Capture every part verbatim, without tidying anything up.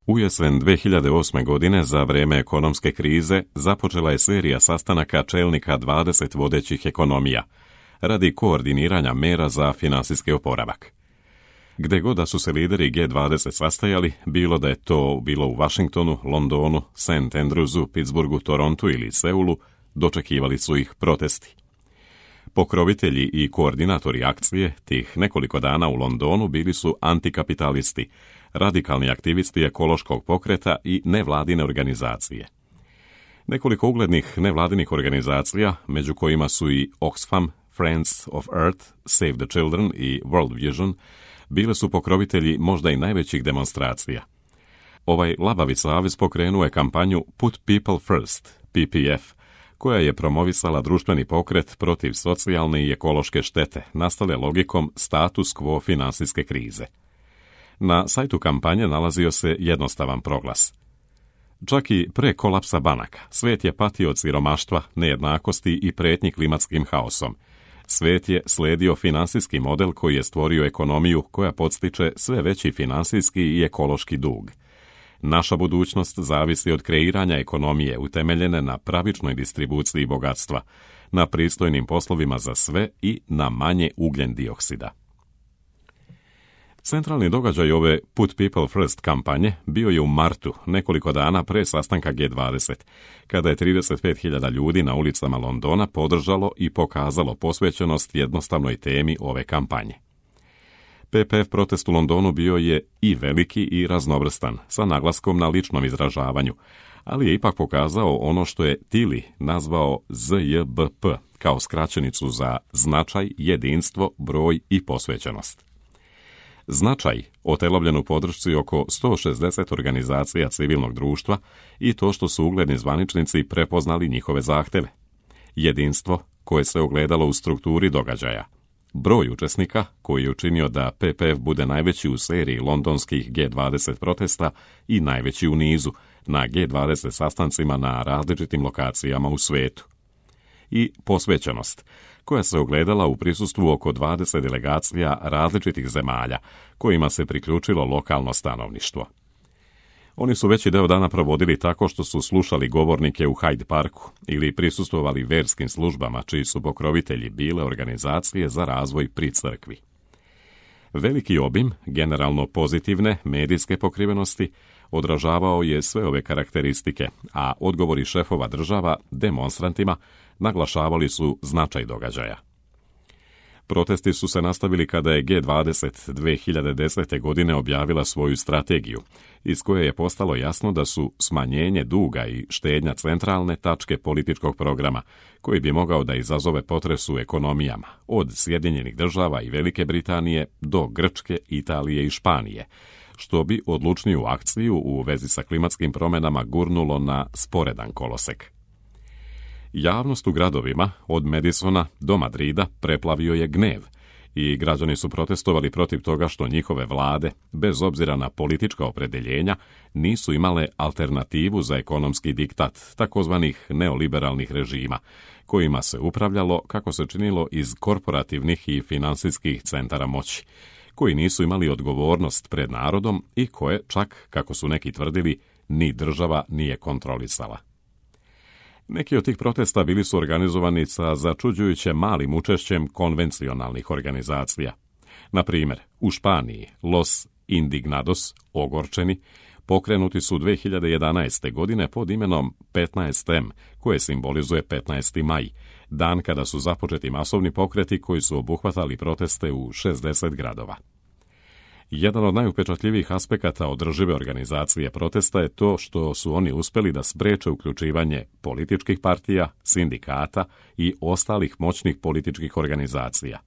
U jesen dve hiljade osme. godine, za vreme ekonomske krize, započela je serija sastanaka čelnika dvadeset vodećih ekonomija radi koordiniranja mera za finansijski oporavak. Gde god da su se lideri G dvadeset sastajali, bilo da je to bilo u Washingtonu, Londonu, Saint Andrewsu, Pittsburghu, Torontu ili Seulu, dočekivali su ih protesti. Pokrovitelji i koordinatori akcije tih nekoliko dana u Londonu bili su antikapitalisti, radikalni aktivisti ekološkog pokreta i nevladine organizacije. Nekoliko uglednih nevladinih organizacija, među kojima su i Oxfam, Friends of Earth, Save the Children i World Vision, bile su pokrovitelji možda i najvećih demonstracija. Ovaj labavi savez pokrenuo je kampanju Put People First, P P F, koja je promovisala društveni pokret protiv socijalne i ekološke štete, nastale logikom status quo finansijske krize. Na sajtu kampanje nalazio se jednostavan proglas. Čak i pre kolapsa banaka, svet je patio od siromaštva, nejednakosti i pretnji klimatskim haosom. Svet je sledio finansijski model koji je stvorio ekonomiju koja podstiče sve veći finansijski i ekološki dug. Naša budućnost zavisi od kreiranja ekonomije utemeljene na pravičnoj distribuciji bogatstva, na pristojnim poslovima za sve i na manje ugljen dioksida. Centralni događaj ove Put People First kampanje bio je u martu, nekoliko dana pre sastanka G dvadeset, kada je trideset pet hiljada ljudi na ulicama Londona podržalo i pokazalo posvećenost jednostavnoj temi ove kampanje. P P F protest u Londonu bio je i veliki i raznovrstan, sa naglaskom na ličnom izražavanju, ali je ipak pokazao ono što je Tilly nazvao Z J B P, kao skraćenicu za značaj, jedinstvo, broj i posvećenost. Značaj otelovljen u podršci oko sto šezdeset organizacija civilnog društva i to što su ugledni zvaničnici prepoznali njihove zahteve. Jedinstvo koje se ogledalo u strukturi događaja. Broj učesnika koji je učinio da P P F bude najveći u seriji londonskih G dvadeset protesta i najveći u nizu na G dvadeset sastancima na različitim lokacijama u svetu. I posvećenost, koja se ogledala u prisustvu oko dvadeset delegacija različitih zemalja, kojima se priključilo lokalno stanovništvo. Oni su veći deo dana provodili tako što su slušali govornike u Hyde Parku ili prisustvovali verskim službama čiji su pokrovitelji bile organizacije za razvoj pri crkvi. Veliki obim, generalno pozitivne, medijske pokrivenosti odražavao je sve ove karakteristike, a odgovori šefova država demonstrantima naglašavali su značaj događaja. Protesti su se nastavili kada je G dvadeset dve hiljade desete. godine objavila svoju strategiju, iz koje je postalo jasno da su smanjenje duga i štednja centralne tačke političkog programa, koji bi mogao da izazove potres u ekonomijama, od Sjedinjenih država i Velike Britanije do Grčke, Italije i Španije, što bi odlučniju akciju u vezi sa klimatskim promjenama gurnulo na sporedan kolosek. Javnost u gradovima, od Madisona do Madrida, preplavio je gnev i građani su protestovali protiv toga što njihove vlade, bez obzira na politička opredeljenja, nisu imale alternativu za ekonomski diktat takozvanih neoliberalnih režima, kojima se upravljalo, kako se činilo, iz korporativnih i finansijskih centara moći, koji nisu imali odgovornost pred narodom i koje, čak, kako su neki tvrdili, ni država nije kontrolisala. Neki od tih protesta bili su organizovani sa začuđujuće malim učešćem konvencionalnih organizacija. Na primjer, u Španiji Los Indignados, ogorčeni, pokrenuti su dve hiljade jedanaeste. godine pod imenom petnaest M, koje simbolizuje petnaesti maj, dan kada su započeti masovni pokreti koji su obuhvatali proteste u šezdeset gradova. Jedan od najupečatljivijih aspekata održive organizacije protesta je to što su oni uspeli da spreče uključivanje političkih partija, sindikata i ostalih moćnih političkih organizacija.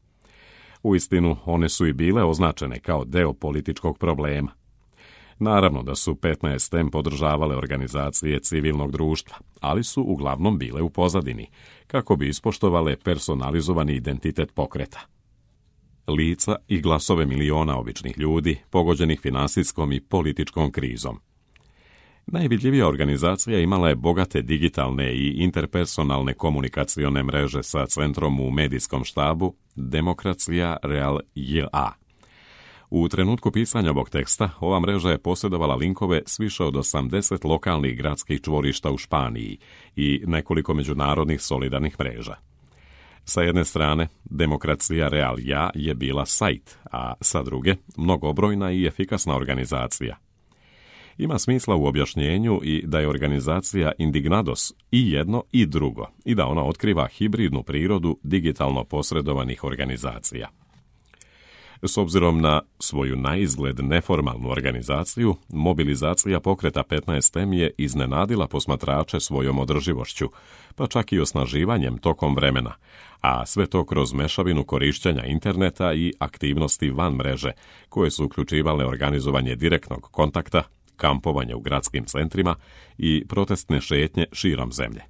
Uistinu, one su i bile označene kao deo političkog problema. Naravno da su petnaest M podržavale organizacije civilnog društva, ali su uglavnom bile u pozadini, kako bi ispoštovale personalizovani identitet pokreta. Lica i glasove miliona običnih ljudi, pogođenih finansijskom i političkom krizom. Najvidljivija organizacija imala je bogate digitalne i interpersonalne komunikacione mreže sa centrom u medijskom štabu Demokracija Real J A. U trenutku pisanja ovog teksta, ova mreža je posjedovala linkove s više od osamdeset lokalnih gradskih čvorišta u Španiji i nekoliko međunarodnih solidarnih mreža. Sa jedne strane, Demokracija Real Ja je bila sajt, a sa druge, mnogobrojna i efikasna organizacija. Ima smisla u objašnjenju i da je organizacija Indignados i jedno i drugo, i da ona otkriva hibridnu prirodu digitalno posredovanih organizacija. S obzirom na svoju naizgled neformalnu organizaciju, mobilizacija pokreta petnaest em je iznenadila posmatrače svojom održivošću, pa čak i osnaživanjem tokom vremena, a sve to kroz mešavinu korišćenja interneta i aktivnosti van mreže, koje su uključivale organizovanje direktnog kontakta, kampovanje u gradskim centrima i protestne šetnje širom zemlje.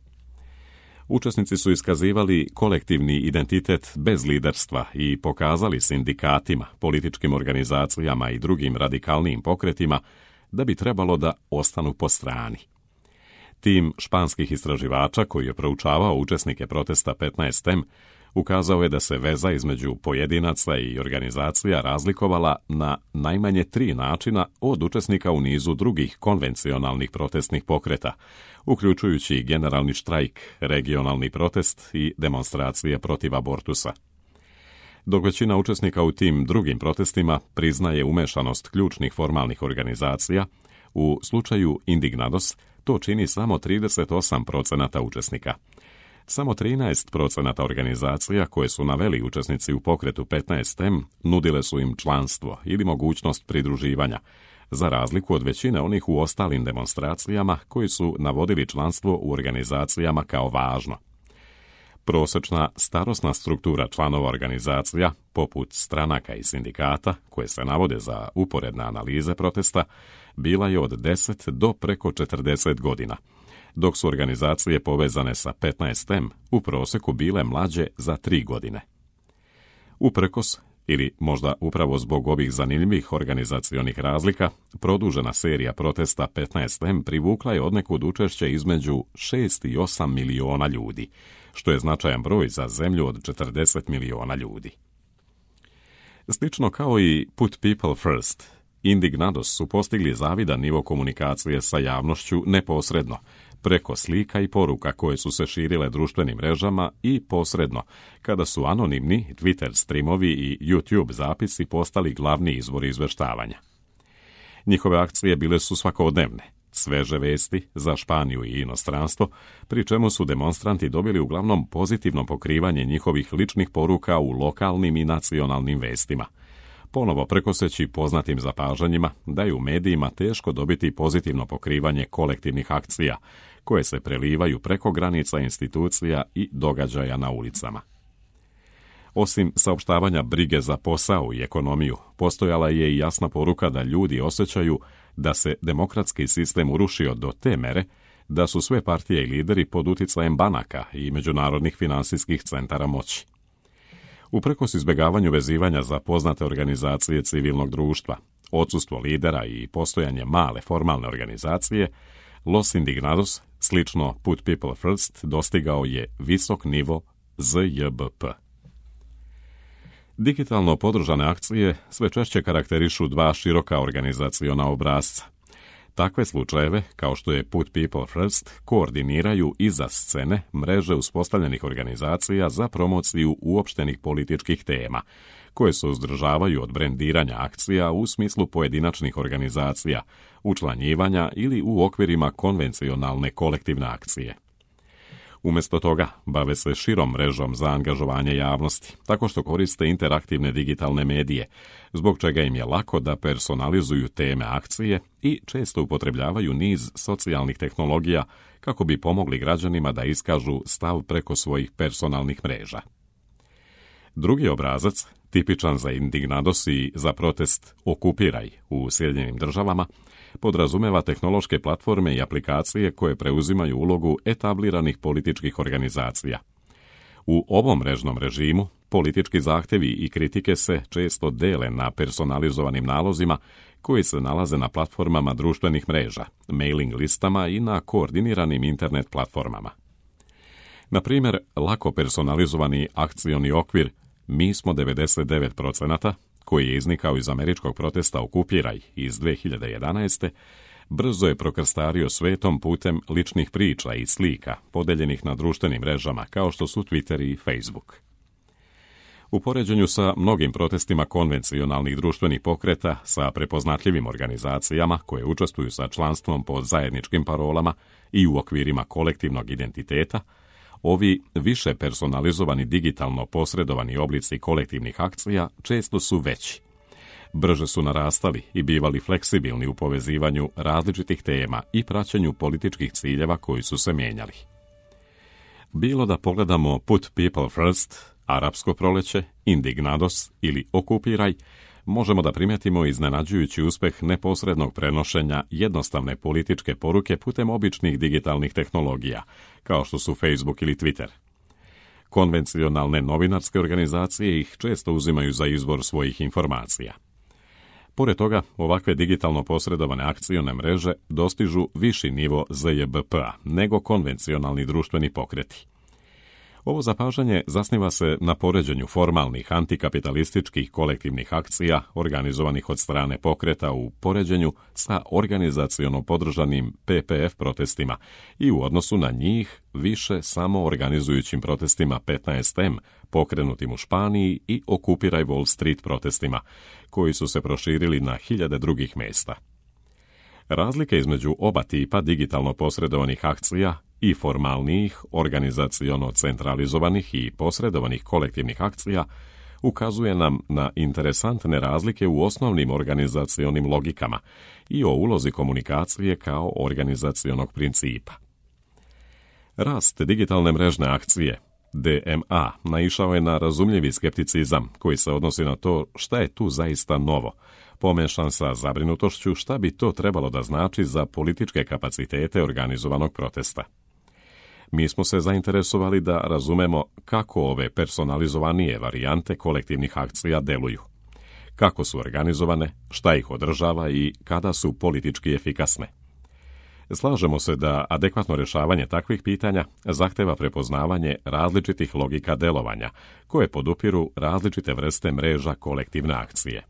Učesnici su iskazivali kolektivni identitet bez liderstva i pokazali sindikatima, političkim organizacijama i drugim radikalnijim pokretima da bi trebalo da ostanu po strani. Tim španskih istraživača koji je proučavao učesnike protesta petnaest em ukazao je da se veza između pojedinaca i organizacija razlikovala na najmanje tri načina od učesnika u nizu drugih konvencionalnih protestnih pokreta, uključujući generalni štrajk, regionalni protest i demonstracije protiv abortusa. Dok većina učesnika u tim drugim protestima priznaje umešanost ključnih formalnih organizacija, u slučaju Indignados to čini samo trideset osam procenata učesnika. Samo trinaest procenata organizacija koje su naveli učesnici u pokretu petnaest em nudile su im članstvo ili mogućnost pridruživanja, za razliku od većine onih u ostalim demonstracijama koji su navodili članstvo u organizacijama kao važno. Prosječna starosna struktura članova organizacija, poput stranaka i sindikata, koje se navode za uporedne analize protesta, bila je od deset do preko četrdeset godina, dok su organizacije povezane sa petnaest em u prosjeku bile mlađe za tri godine. Uprkos, ili možda upravo zbog ovih zanimljivih organizacionih razlika, produžena serija protesta petnaest em privukla je odnekud učešće između šest i osam miliona ljudi, što je značajan broj za zemlju od četrdeset miliona ljudi. Slično kao i Put People First, Indignados su postigli zavidan nivo komunikacije sa javnošću neposredno, preko slika i poruka koje su se širile društvenim mrežama i posredno, kada su anonimni Twitter streamovi i YouTube zapisi postali glavni izvor izveštavanja. Njihove akcije bile su svakodnevne, sveže vesti za Španiju i inostranstvo, pri čemu su demonstranti dobili uglavnom pozitivno pokrivanje njihovih ličnih poruka u lokalnim i nacionalnim vestima, ponovo prekoseći poznatim zapažanjima da je u medijima teško dobiti pozitivno pokrivanje kolektivnih akcija, koje se prelivaju preko granica institucija i događaja na ulicama. Osim saopštavanja brige za posao i ekonomiju, postojala je i jasna poruka da ljudi osjećaju da se demokratski sistem urušio do te mere da su sve partije i lideri pod uticajem banaka i međunarodnih finansijskih centara moći. Uprkos izbjegavanju vezivanja za poznate organizacije civilnog društva, odsustvo lidera i postojanje male formalne organizacije, Los Indignados, slično Put People First, dostigao je visok nivo Z J B P. Digitalno podržane akcije sve češće karakterišu dva široka organizaciona obrasca. Takve slučajeve, kao što je Put People First, koordiniraju iza scene mreže uspostavljenih organizacija za promociju uopštenih političkih tema, koje se uzdržavaju od brendiranja akcija u smislu pojedinačnih organizacija, učlanjivanja ili u okvirima konvencionalne kolektivne akcije. Umjesto toga, bave se širom mrežom za angažovanje javnosti, tako što koriste interaktivne digitalne medije, zbog čega im je lako da personalizuju teme akcije i često upotrebljavaju niz socijalnih tehnologija kako bi pomogli građanima da iskažu stav preko svojih personalnih mreža. Drugi obrazac, tipičan za Indignados i za protest Okupiraj u Sjedinjenim državama, podrazumeva tehnološke platforme i aplikacije koje preuzimaju ulogu etabliranih političkih organizacija. U ovom mrežnom režimu politički zahtjevi i kritike se često dele na personalizovanim nalozima koji se nalaze na platformama društvenih mreža, mailing listama i na koordiniranim internet platformama. Na primjer, lako personalizovani akcioni okvir Mi smo devedeset devet procenata, koji je iznikao iz američkog protesta Okupiraj iz dve hiljade jedanaeste. brzo je prokrstario svetom putem ličnih priča i slika podeljenih na društvenim mrežama kao što su Twitter i Facebook. U poređenju sa mnogim protestima konvencionalnih društvenih pokreta sa prepoznatljivim organizacijama koje učestvuju sa članstvom pod zajedničkim parolama i u okvirima kolektivnog identiteta, ovi više personalizovani digitalno posredovani oblici kolektivnih akcija često su veći. Brže su narastali i bivali fleksibilni u povezivanju različitih tema i praćenju političkih ciljeva koji su se mijenjali. Bilo da pogledamo Put People First, Arapsko proleće, Indignados ili Okupiraj, možemo da primetimo iznenađujući uspeh neposrednog prenošenja jednostavne političke poruke putem običnih digitalnih tehnologija, kao što su Facebook ili Twitter. Konvencionalne novinarske organizacije ih često uzimaju za izvor svojih informacija. Pored toga, ovakve digitalno posredovane akcione mreže dostižu viši nivo Z J B P-a nego konvencionalni društveni pokreti. Ovo zapažanje zasniva se na poređenju formalnih antikapitalističkih kolektivnih akcija organizovanih od strane pokreta u poređenju sa organizaciono podržanim P P F protestima i u odnosu na njih više samo organizujućim protestima petnaest M pokrenutim u Španiji i Okupiraj Wall Street protestima, koji su se proširili na hiljade drugih mjesta. Razlike između oba tipa digitalno posredovanih akcija i formalnijih, organizaciono centralizovanih i posredovanih kolektivnih akcija ukazuje nam na interesantne razlike u osnovnim organizacionim logikama i o ulozi komunikacije kao organizacionog principa. Rast digitalne mrežne akcije, D M A, naišao je na razumljivi skepticizam koji se odnosi na to šta je tu zaista novo, pomešan sa zabrinutošću šta bi to trebalo da znači za političke kapacitete organizovanog protesta. Mi smo se zainteresovali da razumemo kako ove personalizovanije varijante kolektivnih akcija deluju, kako su organizovane, šta ih održava i kada su politički efikasne. Slažemo se da adekvatno rješavanje takvih pitanja zahteva prepoznavanje različitih logika delovanja, koje podupiru različite vrste mreža kolektivne akcije.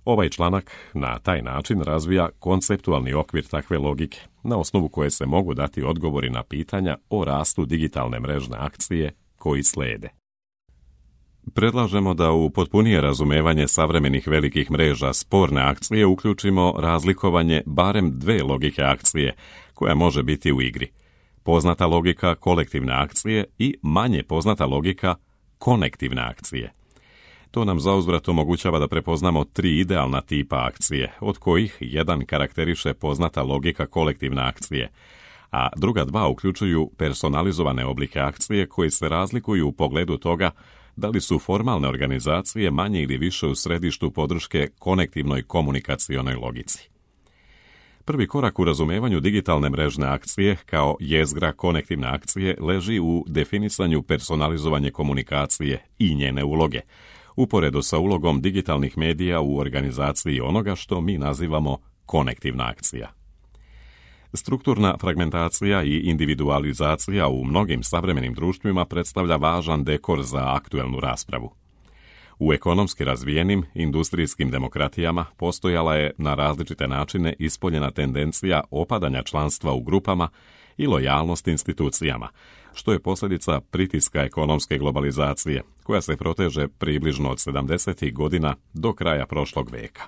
Ovaj članak na taj način razvija konceptualni okvir takve logike, na osnovu koje se mogu dati odgovori na pitanja o rastu digitalne mrežne akcije koji slijede. Predlažemo da u potpunije razumevanje savremenih velikih mreža sporne akcije uključimo razlikovanje barem dve logike akcije koja može biti u igri. Poznata logika kolektivne akcije i manje poznata logika konektivne akcije. To nam zauzvrat omogućava da prepoznamo tri idealna tipa akcije, od kojih jedan karakteriše poznata logika kolektivne akcije, a druga dva uključuju personalizovane oblike akcije koji se razlikuju u pogledu toga da li su formalne organizacije manje ili više u središtu podrške konektivnoj komunikacionoj logici. Prvi korak u razumevanju digitalne mrežne akcije kao jezgra konektivne akcije leži u definisanju personalizovanje komunikacije i njene uloge, uporedo sa ulogom digitalnih medija u organizaciji onoga što mi nazivamo konektivna akcija. Strukturna fragmentacija i individualizacija u mnogim savremenim društvima predstavlja važan dekor za aktuelnu raspravu. U ekonomski razvijenim industrijskim demokratijama postojala je na različite načine ispoljena tendencija opadanja članstva u grupama i lojalnost institucijama, što je posljedica pritiska ekonomske globalizacije, koja se proteže približno od sedamdesetih godina do kraja prošlog veka.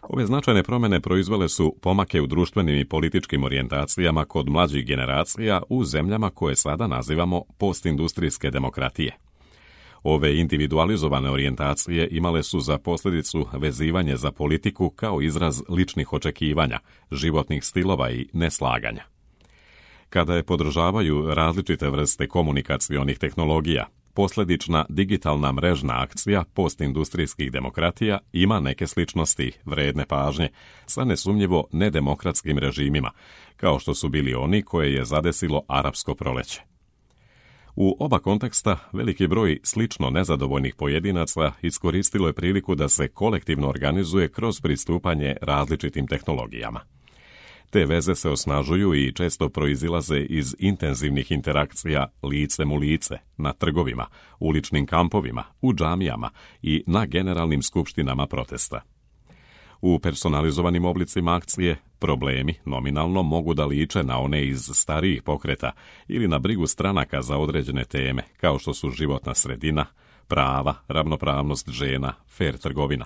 Ove značajne promjene proizvele su pomake u društvenim i političkim orijentacijama kod mlađih generacija u zemljama koje sada nazivamo postindustrijske demokratije. Ove individualizovane orijentacije imale su za posljedicu vezivanje za politiku kao izraz ličnih očekivanja, životnih stilova i neslaganja. Kada je podržavaju različite vrste komunikacionih tehnologija, posljedična digitalna mrežna akcija postindustrijskih demokratija ima neke sličnosti vredne pažnje sa nesumnjivo nedemokratskim režimima, kao što su bili oni koje je zadesilo Arapsko proleće. U oba konteksta veliki broj slično nezadovoljnih pojedinaca iskoristilo je priliku da se kolektivno organizuje kroz pristupanje različitim tehnologijama. Te veze se osnažuju i često proizilaze iz intenzivnih interakcija licem u lice, na trgovima, uličnim kampovima, u džamijama i na generalnim skupštinama protesta. U personalizovanim oblicima akcije problemi nominalno mogu da liče na one iz starijih pokreta ili na brigu stranaka za određene teme, kao što su životna sredina, prava, ravnopravnost žena, fer trgovina.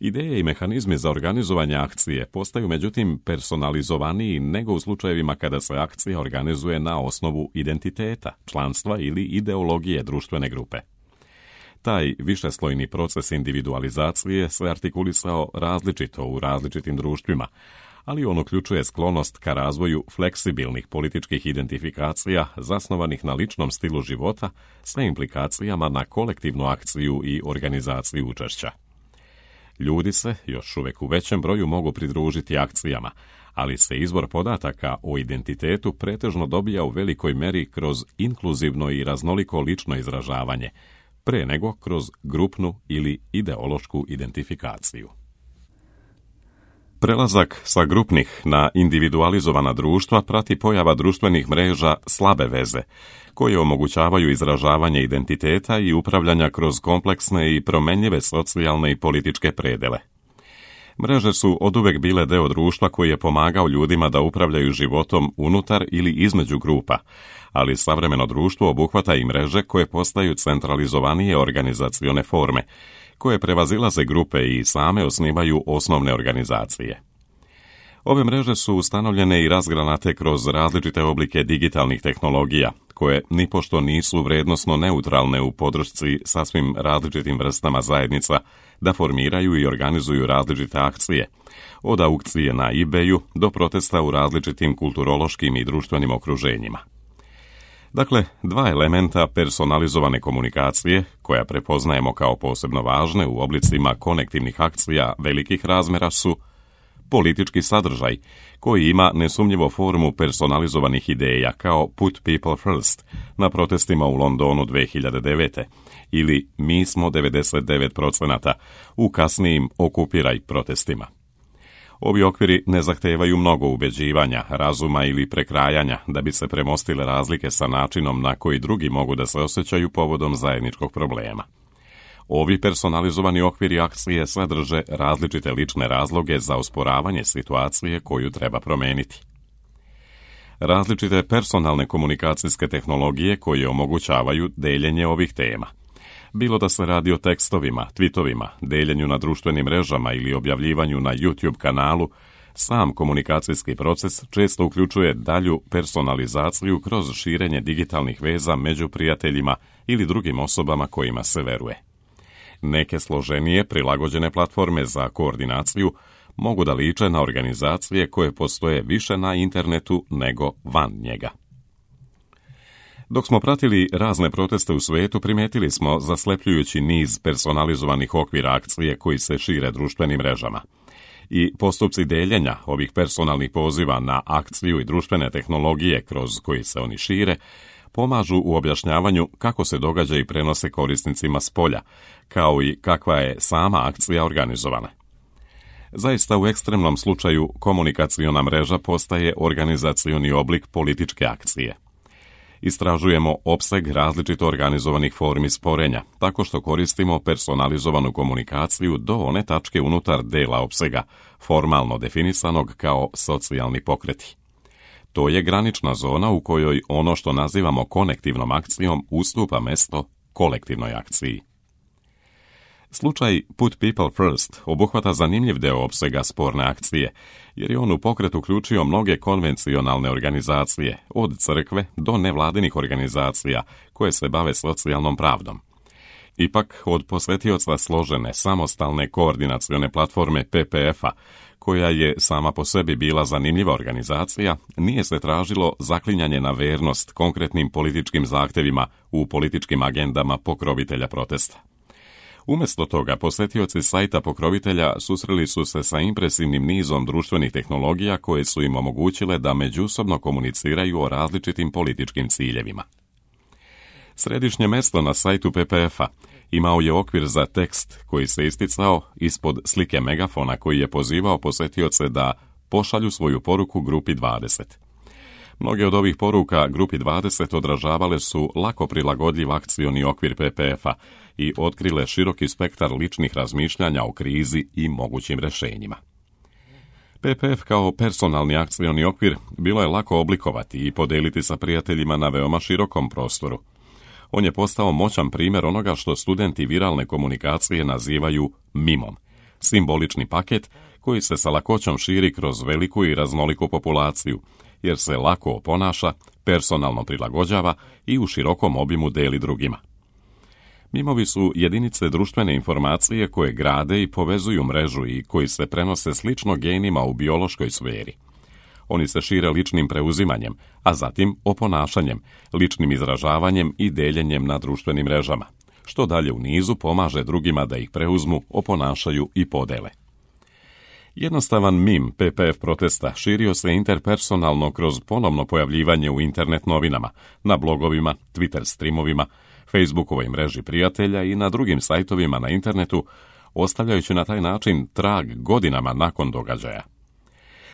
Ideje i mehanizmi za organizovanje akcije postaju međutim personalizovaniji nego u slučajevima kada se akcija organizuje na osnovu identiteta, članstva ili ideologije društvene grupe. Taj višeslojni proces individualizacije se artikulisao različito u različitim društvima, ali on uključuje sklonost ka razvoju fleksibilnih političkih identifikacija zasnovanih na ličnom stilu života sa implikacijama na kolektivnu akciju i organizaciju učešća. Ljudi se još uvijek u većem broju mogu pridružiti akcijama, ali se izvor podataka o identitetu pretežno dobija u velikoj meri kroz inkluzivno i raznoliko lično izražavanje, pre nego kroz grupnu ili ideološku identifikaciju. Prelazak sa grupnih na individualizovana društva prati pojava društvenih mreža slabe veze, koje omogućavaju izražavanje identiteta i upravljanja kroz kompleksne i promenljive socijalne i političke predele. Mreže su oduvek bile deo društva koji je pomagao ljudima da upravljaju životom unutar ili između grupa, ali savremeno društvo obuhvata i mreže koje postaju centralizovanije organizacione forme, koje prevazilaze grupe i same osnivaju osnovne organizacije. Ove mreže su ustanovljene i razgranate kroz različite oblike digitalnih tehnologija, koje nipošto nisu vrednosno neutralne u podršci sasvim različitim vrstama zajednica da formiraju i organizuju različite akcije, od aukcije na eBayu do protesta u različitim kulturološkim i društvenim okruženjima. Dakle, dva elementa personalizovane komunikacije, koja prepoznajemo kao posebno važne u oblicima konektivnih akcija velikih razmera, su politički sadržaj, koji ima nesumnjivo formu personalizovanih ideja kao Put People First na protestima u Londonu dve hiljade devete ili Mi smo devedeset devet procenata u kasnijim Okupiraj protestima. Ovi okviri ne zahtevaju mnogo ubeđivanja, razuma ili prekrajanja da bi se premostile razlike sa načinom na koji drugi mogu da se osjećaju povodom zajedničkog problema. Ovi personalizovani okviri akcije sadrže različite lične razloge za osporavanje situacije koju treba promeniti. Različite personalne komunikacijske tehnologije koje omogućavaju deljenje ovih tema. Bilo da se radi o tekstovima, tweetovima, deljenju na društvenim mrežama ili objavljivanju na YouTube kanalu, sam komunikacijski proces često uključuje dalju personalizaciju kroz širenje digitalnih veza među prijateljima ili drugim osobama kojima se veruje. Neke složenije prilagođene platforme za koordinaciju mogu da liče na organizacije koje postoje više na internetu nego van njega. Dok smo pratili razne proteste u svetu, primetili smo zaslepljujući niz personalizovanih okvira akcije koji se šire društvenim mrežama. I postupci deljenja ovih personalnih poziva na akciju i društvene tehnologije kroz koji se oni šire pomažu u objašnjavanju kako se događaji prenose korisnicima s polja, kao i kakva je sama akcija organizovana. Zaista u ekstremnom slučaju komunikaciona mreža postaje organizacioni oblik političke akcije. Istražujemo opseg različito organizovanih formi sporenja, tako što koristimo personalizovanu komunikaciju do one tačke unutar dela opsega, formalno definisanog kao socijalni pokreti. To je granična zona u kojoj ono što nazivamo konektivnom akcijom ustupa mesto kolektivnoj akciji. Slučaj Put People First obuhvata zanimljiv deo opsega sporne akcije, jer je on u pokret uključio mnoge konvencionalne organizacije, od crkve do nevladinih organizacija koje se bave socijalnom pravdom. Ipak, od posvetioca složene, samostalne koordinacione platforme P P F-a, koja je sama po sebi bila zanimljiva organizacija, nije se tražilo zaklinjanje na vernost konkretnim političkim zahtevima u političkim agendama pokrovitelja protesta. Umjesto toga, posjetioci sajta pokrovitelja susreli su se sa impresivnim nizom društvenih tehnologija koje su im omogućile da međusobno komuniciraju o različitim političkim ciljevima. Središnje mjesto na sajtu P P F-a imao je okvir za tekst koji se isticao ispod slike megafona koji je pozivao posjetioce da pošalju svoju poruku grupi dvadeset. Mnoge od ovih poruka grupi dvadeset odražavale su lako prilagodljiv akcioni okvir P P F-a i otkrile široki spektar ličnih razmišljanja o krizi i mogućim rješenjima. P P F kao personalni akcioni okvir bilo je lako oblikovati i podijeliti sa prijateljima na veoma širokom prostoru. On je postao moćan primjer onoga što studenti viralne komunikacije nazivaju mimom, simbolični paket koji se sa lakoćom širi kroz veliku i raznoliku populaciju, jer se lako oponaša, personalno prilagođava i u širokom obimu deli drugima. Mimovi su jedinice društvene informacije koje grade i povezuju mrežu i koji se prenose slično genima u biološkoj sferi. Oni se šire ličnim preuzimanjem, a zatim oponašanjem, ličnim izražavanjem i deljenjem na društvenim mrežama, što dalje u nizu pomaže drugima da ih preuzmu, oponašaju i podele. Jednostavan mim P P F protesta širio se interpersonalno kroz ponovno pojavljivanje u internet novinama, na blogovima, Twitter streamovima, Facebookovoj mreži prijatelja i na drugim sajtovima na internetu, ostavljajući na taj način trag godinama nakon događaja.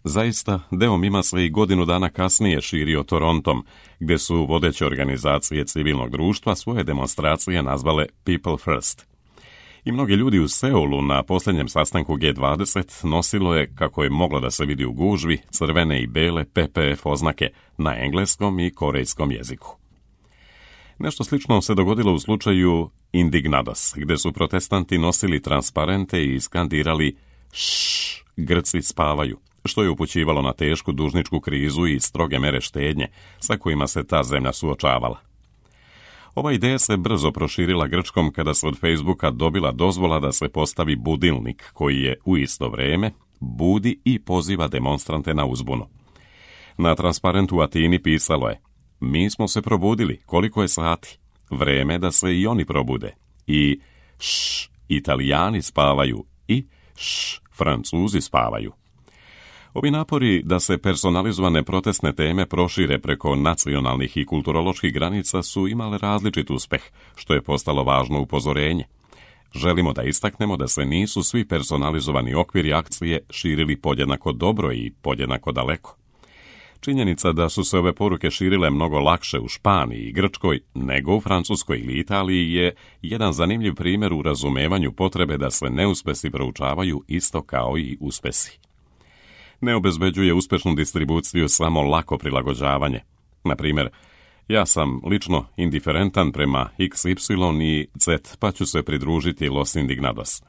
Zaista, deo mima se i godinu dana kasnije širio Torontom, gdje su vodeće organizacije civilnog društva svoje demonstracije nazvale People First. I mnogi ljudi u Seulu na posljednjem sastanku G dvadeset nosilo je, kako je moglo da se vidi u gužvi, crvene i bele P P F oznake na engleskom i korejskom jeziku. Nešto slično se dogodilo u slučaju Indignados, gdje su protestanti nosili transparente i skandirali "Šš, Grci spavaju", što je upućivalo na tešku dužničku krizu i stroge mere štednje sa kojima se ta zemlja suočavala. Ova ideja se brzo proširila Grčkom kada se od Facebooka dobila dozvola da se postavi budilnik koji je u isto vrijeme budi i poziva demonstrante na uzbunu. Na transparentu u Atini pisalo je: "Mi smo se probudili, koliko je sati, vreme da se i oni probude", i "Šš, Italijani spavaju" i "Šš, Francuzi spavaju". Ovi napori da se personalizovane protestne teme prošire preko nacionalnih i kulturoloških granica su imale različit uspeh, što je postalo važno upozorenje. Želimo da istaknemo da se nisu svi personalizovani okviri akcije širili podjednako dobro i podjednako daleko. Činjenica da su se ove poruke širile mnogo lakše u Španiji i Grčkoj nego u Francuskoj ili Italiji je jedan zanimljiv primjer u razumevanju potrebe da se neuspesi proučavaju isto kao i uspesi. Ne obezbeđuje uspešnu distribuciju samo lako prilagođavanje. Na primjer, ja sam lično indiferentan prema X Y i Z, pa ću se pridružiti Los Indignados.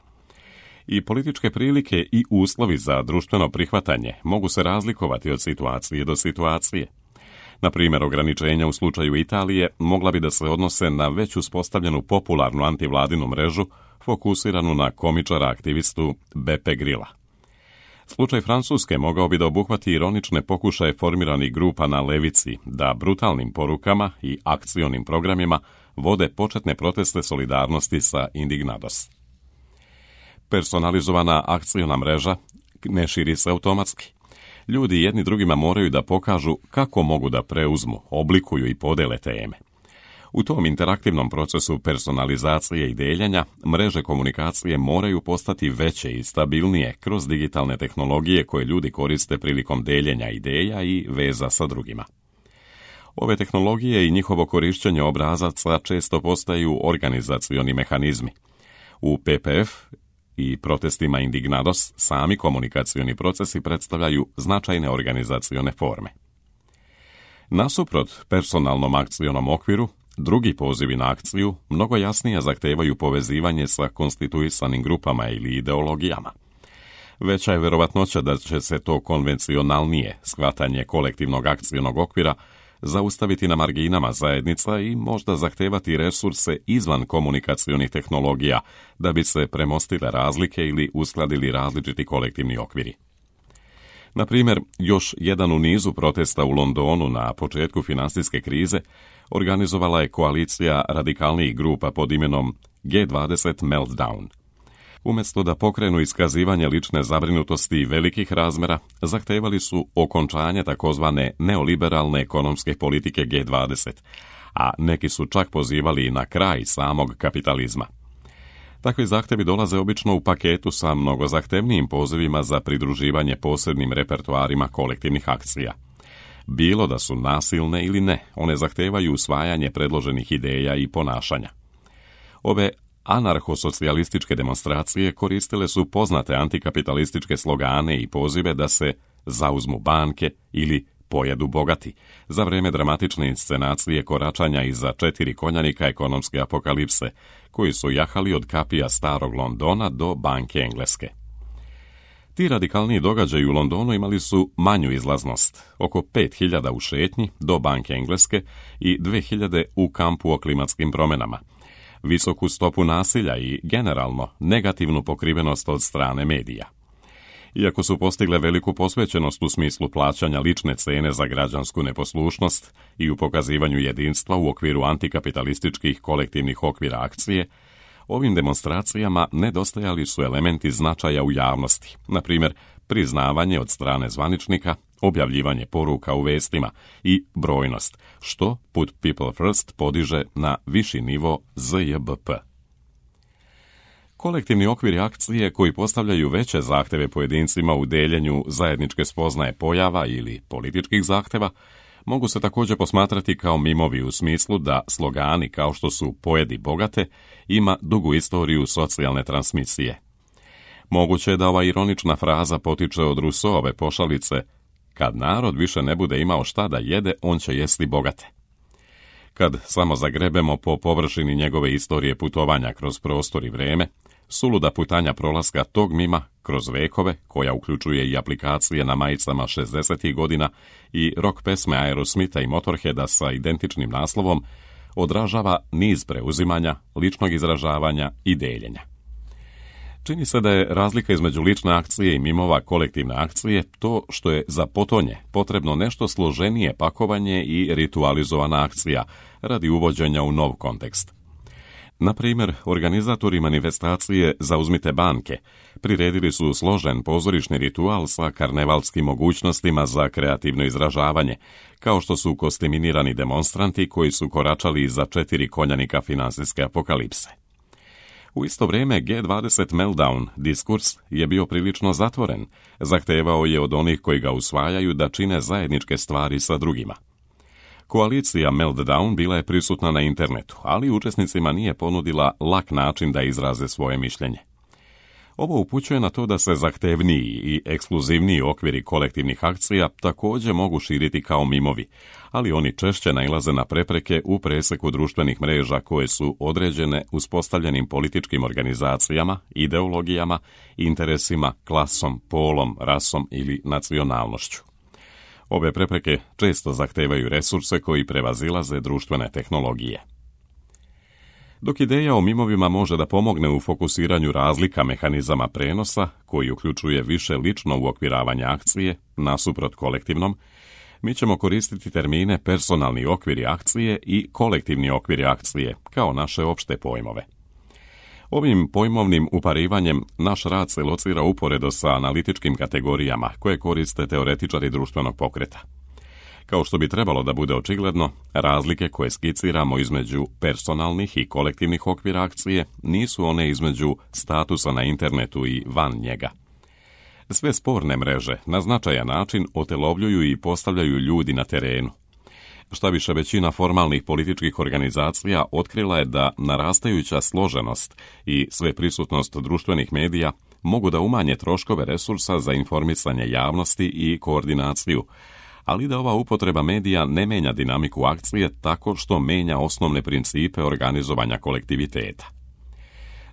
I političke prilike i uslovi za društveno prihvatanje mogu se razlikovati od situacije do situacije. Na primjer, ograničenja u slučaju Italije mogla bi da se odnose na već uspostavljenu popularnu antivladinu mrežu fokusiranu na komičara aktivistu Beppe Grilla. Slučaj Francuske mogao bi da obuhvati ironične pokušaje formiranih grupa na levici da brutalnim porukama i akcionim programima vode početne proteste solidarnosti sa Indignados. Personalizovana akciona mreža ne širi se automatski. Ljudi jedni drugima moraju da pokažu kako mogu da preuzmu, oblikuju i podele teme. U tom interaktivnom procesu personalizacije i deljenja, mreže komunikacije moraju postati veće i stabilnije kroz digitalne tehnologije koje ljudi koriste prilikom deljenja ideja i veza sa drugima. Ove tehnologije i njihovo korišćenje obrazaca često postaju organizacioni mehanizmi. U P P F i protestima Indignados sami komunikacioni procesi predstavljaju značajne organizacione forme. Nasuprot personalnom akcionom okviru, drugi pozivi na akciju mnogo jasnije zahtevaju povezivanje sa konstituisanim grupama ili ideologijama. Veća je verovatnoća da će se to konvencionalnije shvatanje kolektivnog akcionog okvira zaustaviti na marginama zajednica i možda zahtevati resurse izvan komunikacionih tehnologija da bi se premostile razlike ili uskladili različiti kolektivni okviri. Na primjer, još jedan u nizu protesta u Londonu na početku finansijske krize organizovala je koalicija radikalnijih grupa pod imenom G dvadeset Meltdown. Umjesto da pokrenu iskazivanje lične zabrinutosti velikih razmera, zahtevali su okončanje takozvane neoliberalne ekonomske politike G dvadeset, a neki su čak pozivali na kraj samog kapitalizma. Takvi zahtjevi dolaze obično u paketu sa mnogo zahtevnijim pozivima za pridruživanje posebnim repertoarima kolektivnih akcija. Bilo da su nasilne ili ne, one zahtevaju usvajanje predloženih ideja i ponašanja. Ove anarhosocijalističke demonstracije koristile su poznate antikapitalističke slogane i pozive da se zauzmu banke ili pojedu bogati za vrijeme dramatične inscenacije koračanja iza četiri konjanika ekonomske apokalipse, koji su jahali od kapija starog Londona do banke Engleske. Ti radikalniji događaji u Londonu imali su manju izlaznost, oko pet hiljada u šetnji do banke Engleske i dve hiljade u kampu o klimatskim promjenama, visoku stopu nasilja i generalno negativnu pokrivenost od strane medija. Iako su postigle veliku posvećenost u smislu plaćanja lične cene za građansku neposlušnost i u pokazivanju jedinstva u okviru antikapitalističkih kolektivnih okvira akcije, ovim demonstracijama nedostajali su elementi značaja u javnosti, na primjer priznavanje od strane zvaničnika, objavljivanje poruka u vestima i brojnost, što Put People First podiže na viši nivo Z J B P. Kolektivni okviri akcije koji postavljaju veće zahtjeve pojedincima u deljenju zajedničke spoznaje pojava ili političkih zahtjeva mogu se također posmatrati kao mimovi u smislu da slogani kao što su pojedi bogate ima dugu istoriju socijalne transmisije. Moguće je da ova ironična fraza potiče od Rousseauove pošalice kad narod više ne bude imao šta da jede, on će jesti bogate. Kad samo zagrebemo po površini njegove istorije putovanja kroz prostor i vrijeme, suluda putanja prolaska tog mima kroz vekove, koja uključuje i aplikacije na majicama šezdesetih godina i rock pesme Aerosmitha i Motorheada sa identičnim naslovom, odražava niz preuzimanja, ličnog izražavanja i deljenja. Čini se da je razlika između lične akcije i mimova kolektivne akcije to što je za potonje potrebno nešto složenije pakovanje i ritualizovana akcija radi uvođenja u nov kontekst. Na primjer, organizatori manifestacije Zauzmite banke priredili su složen pozorišni ritual sa karnevalskim mogućnostima za kreativno izražavanje, kao što su kostiminirani demonstranti koji su koračali iza četiri konjanika finansijske apokalipse. U isto vrijeme G dvadeset Meltdown diskurs je bio prilično zatvoren, zahtevao je od onih koji ga usvajaju da čine zajedničke stvari sa drugima. Koalicija Meltdown bila je prisutna na internetu, ali učesnicima nije ponudila lak način da izraze svoje mišljenje. Ovo upućuje na to da se zahtevniji i ekskluzivniji okviri kolektivnih akcija također mogu širiti kao mimovi, ali oni češće nailaze na prepreke u preseku društvenih mreža koje su određene uspostavljenim političkim organizacijama, ideologijama, interesima, klasom, polom, rasom ili nacionalnošću. Ove prepreke često zahtevaju resurse koji prevazilaze društvene tehnologije. Dok ideja o mimovima može da pomogne u fokusiranju razlika mehanizama prenosa, koji uključuje više lično uokviravanje akcije, nasuprot kolektivnom, mi ćemo koristiti termine personalni okviri akcije i kolektivni okviri akcije kao naše opšte pojmove. Ovim pojmovnim uparivanjem naš rad se locira uporedo sa analitičkim kategorijama koje koriste teoretičari društvenog pokreta. Kao što bi trebalo da bude očigledno, razlike koje skiciramo između personalnih i kolektivnih okvira akcije nisu one između statusa na internetu i van njega. Sve sporne mreže na značajan način otelovljuju i postavljaju ljudi na terenu. Šta više, većina formalnih političkih organizacija otkrila je da narastajuća složenost i sveprisutnost društvenih medija mogu da umanje troškove resursa za informisanje javnosti i koordinaciju, ali da ova upotreba medija ne menja dinamiku akcije tako što menja osnovne principe organizovanja kolektiviteta.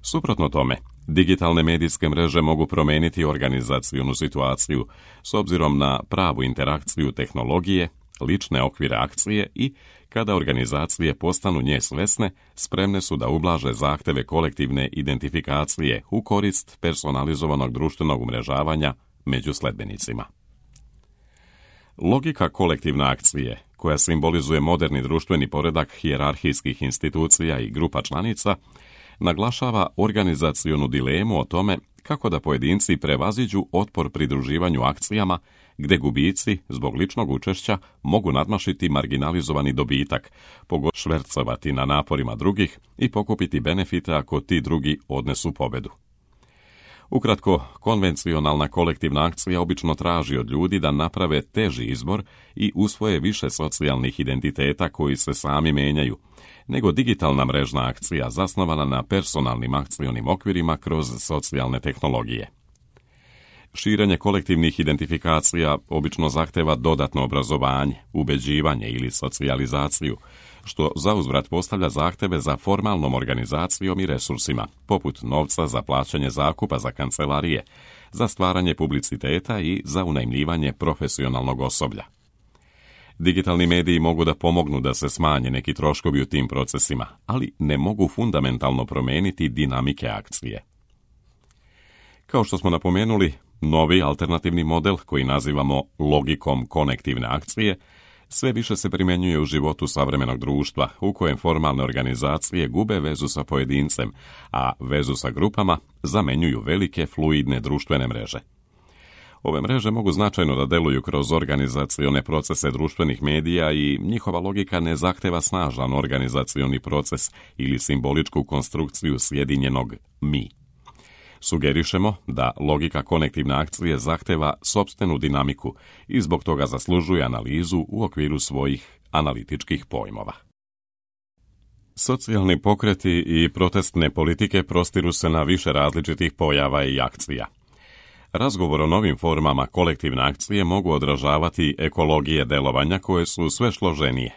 Suprotno tome, digitalne medijske mreže mogu promeniti organizacionu situaciju s obzirom na pravu interakciju tehnologije, lične okvire akcije i, kada organizacije postanu nje svesne, spremne su da ublaže zahteve kolektivne identifikacije u korist personalizovanog društvenog umrežavanja među sledbenicima. Logika kolektivne akcije, koja simbolizuje moderni društveni poredak hijerarhijskih institucija i grupa članica, naglašava organizacionu dilemu o tome kako da pojedinci prevaziđu otpor pridruživanju akcijama gde gubici, zbog ličnog učešća, mogu nadmašiti marginalizovani dobitak, švercovati na naporima drugih i pokupiti benefite ako ti drugi odnesu pobedu. Ukratko, konvencionalna kolektivna akcija obično traži od ljudi da naprave teži izbor i usvoje više socijalnih identiteta koji se sami menjaju, nego digitalna mrežna akcija zasnovana na personalnim akcionim okvirima kroz socijalne tehnologije. Širenje kolektivnih identifikacija obično zahteva dodatno obrazovanje, ubeđivanje ili socijalizaciju, što zauzvrat postavlja zahteve za formalnom organizacijom i resursima, poput novca za plaćanje zakupa za kancelarije, za stvaranje publiciteta i za unajmljivanje profesionalnog osoblja. Digitalni mediji mogu da pomognu da se smanje neki troškovi u tim procesima, ali ne mogu fundamentalno promeniti dinamike akcije. Kao što smo napomenuli, novi alternativni model, koji nazivamo logikom konektivne akcije, sve više se primjenjuje u životu savremenog društva, u kojem formalne organizacije gube vezu sa pojedincem, a vezu sa grupama zamenjuju velike fluidne društvene mreže. Ove mreže mogu značajno da deluju kroz organizacione procese društvenih medija i njihova logika ne zahteva snažan organizacioni proces ili simboličku konstrukciju sjedinjenog mi. Sugerišemo da logika konektivne akcije zahteva sopstvenu dinamiku i zbog toga zaslužuje analizu u okviru svojih analitičkih pojmova. Socijalni pokreti i protestne politike prostiru se na više različitih pojava i akcija. Razgovor o novim formama kolektivne akcije mogu odražavati ekologije delovanja koje su sve složenije.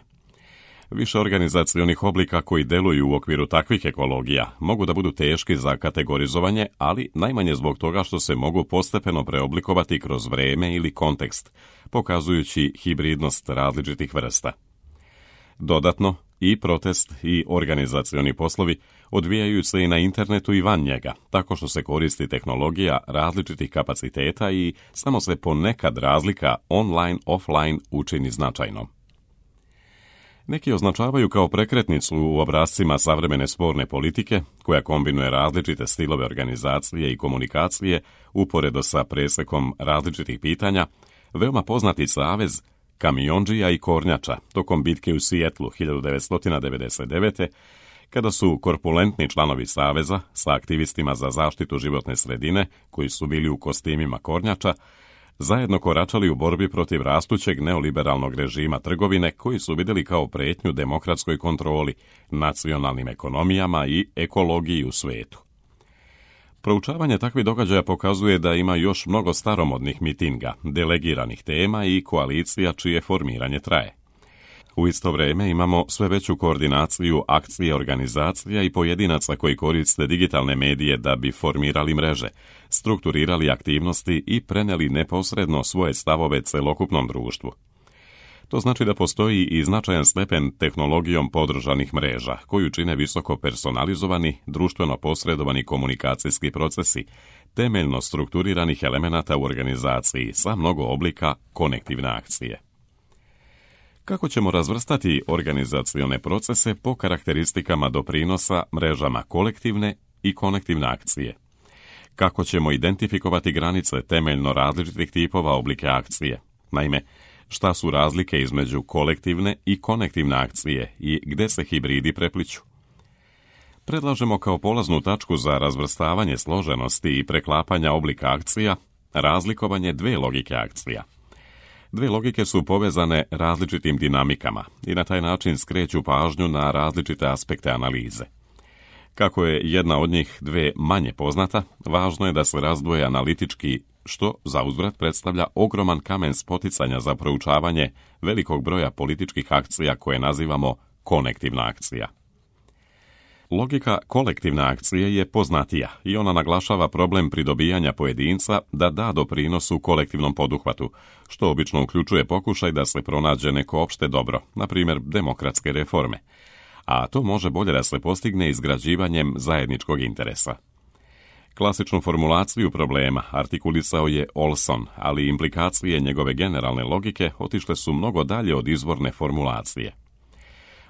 Više organizacionih oblika koji deluju u okviru takvih ekologija mogu da budu teški za kategorizovanje, ali najmanje zbog toga što se mogu postepeno preoblikovati kroz vreme ili kontekst, pokazujući hibridnost različitih vrsta. Dodatno, i protest i organizacioni poslovi odvijaju se i na internetu i van njega, tako što se koristi tehnologija različitih kapaciteta i samo se ponekad razlika online-offline učini značajnom. Neki označavaju kao prekretnicu u obrascima savremene sporne politike, koja kombinuje različite stilove organizacije i komunikacije uporedo sa presekom različitih pitanja, veoma poznati savez kamiondžija i kornjača tokom bitke u Sijetlu hiljadu devetsto devedeset devete. kada su korpulentni članovi saveza sa aktivistima za zaštitu životne sredine, koji su bili u kostimima kornjača, zajedno koračali u borbi protiv rastućeg neoliberalnog režima trgovine koji su vidjeli kao pretnju demokratskoj kontroli, nacionalnim ekonomijama i ekologiji u svetu. Proučavanje takvih događaja pokazuje da ima još mnogo staromodnih mitinga, delegiranih tema i koalicija čije formiranje traje. U isto vrijeme imamo sve veću koordinaciju akcije organizacija i pojedinaca koji koriste digitalne medije da bi formirali mreže, strukturirali aktivnosti i preneli neposredno svoje stavove celokupnom društvu. To znači da postoji i značajan stepen tehnologijom podržanih mreža, koju čine visoko personalizovani, društveno posredovani komunikacijski procesi, temeljno strukturiranih elemenata u organizaciji sa mnogo oblika konektivne akcije. Kako ćemo razvrstati organizacione procese po karakteristikama doprinosa mrežama kolektivne i konektivne akcije? Kako ćemo identifikovati granice temeljno različitih tipova oblike akcije? Naime, šta su razlike između kolektivne i konektivne akcije i gde se hibridi prepliću? Predlažemo kao polaznu tačku za razvrstavanje složenosti i preklapanja oblika akcija razlikovanje dve logike akcija. Dve logike su povezane različitim dinamikama i na taj način skreću pažnju na različite aspekte analize. Kako je jedna od njih dve manje poznata, važno je da se razdvoje analitički, što zauzvrat predstavlja ogroman kamen spoticanja za proučavanje velikog broja političkih akcija koje nazivamo konektivna akcija. Logika kolektivne akcije je poznatija i ona naglašava problem pridobijanja pojedinca da da doprinos u kolektivnom poduhvatu, što obično uključuje pokušaj da se pronađe neko opšte dobro, na primjer demokratske reforme, a to može bolje da se postigne izgrađivanjem zajedničkog interesa. Klasičnu formulaciju problema artikulisao je Olson, ali implikacije njegove generalne logike otišle su mnogo dalje od izvorne formulacije.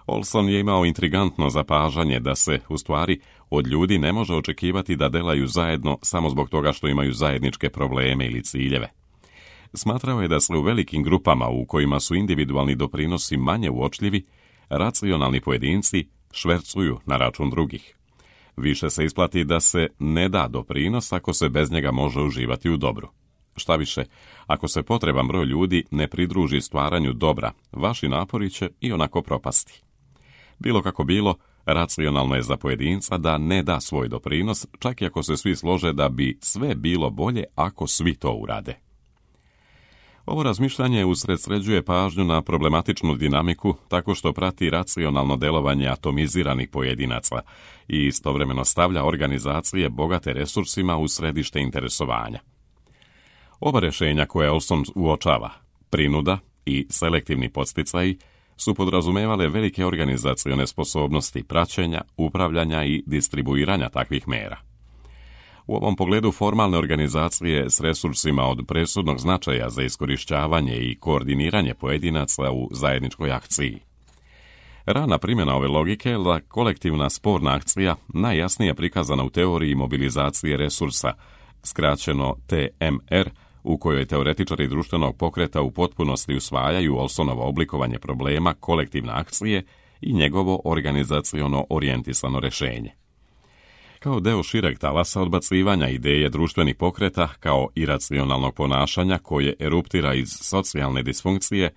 Olson je imao intrigantno zapažanje da se, u stvari, od ljudi ne može očekivati da delaju zajedno samo zbog toga što imaju zajedničke probleme ili ciljeve. Smatrao je da se u velikim grupama u kojima su individualni doprinosi manje uočljivi, racionalni pojedinci švercuju na račun drugih. Više se isplati da se ne da doprinos ako se bez njega može uživati u dobru. Šta više, ako se potreban broj ljudi ne pridruži stvaranju dobra, vaši napori će i onako propasti. Bilo kako bilo, racionalno je za pojedinca da ne da svoj doprinos, čak i ako se svi slože da bi sve bilo bolje ako svi to urade. Ovo razmišljanje usredsređuje pažnju na problematičnu dinamiku tako što prati racionalno delovanje atomiziranih pojedinaca i istovremeno stavlja organizacije bogate resursima u središte interesovanja. Oba rješenja koje Olson uočava, prinuda i selektivni podsticaji, su podrazumevale velike organizacione sposobnosti praćenja, upravljanja i distribuiranja takvih mera. U ovom pogledu formalne organizacije s resursima od presudnog značaja za iskorištavanje i koordiniranje pojedinaca u zajedničkoj akciji. Rana primjena ove logike je da kolektivna sporna akcija najjasnije prikazana u teoriji mobilizacije resursa, skraćeno T M R, u kojoj teoretičari društvenog pokreta u potpunosti usvajaju Olsonovo oblikovanje problema kolektivne akcije i njegovo organizaciono orijentisano rješenje. Kao deo šireg talasa odbacivanja ideje društvenih pokreta kao iracionalnog ponašanja koje eruptira iz socijalne disfunkcije,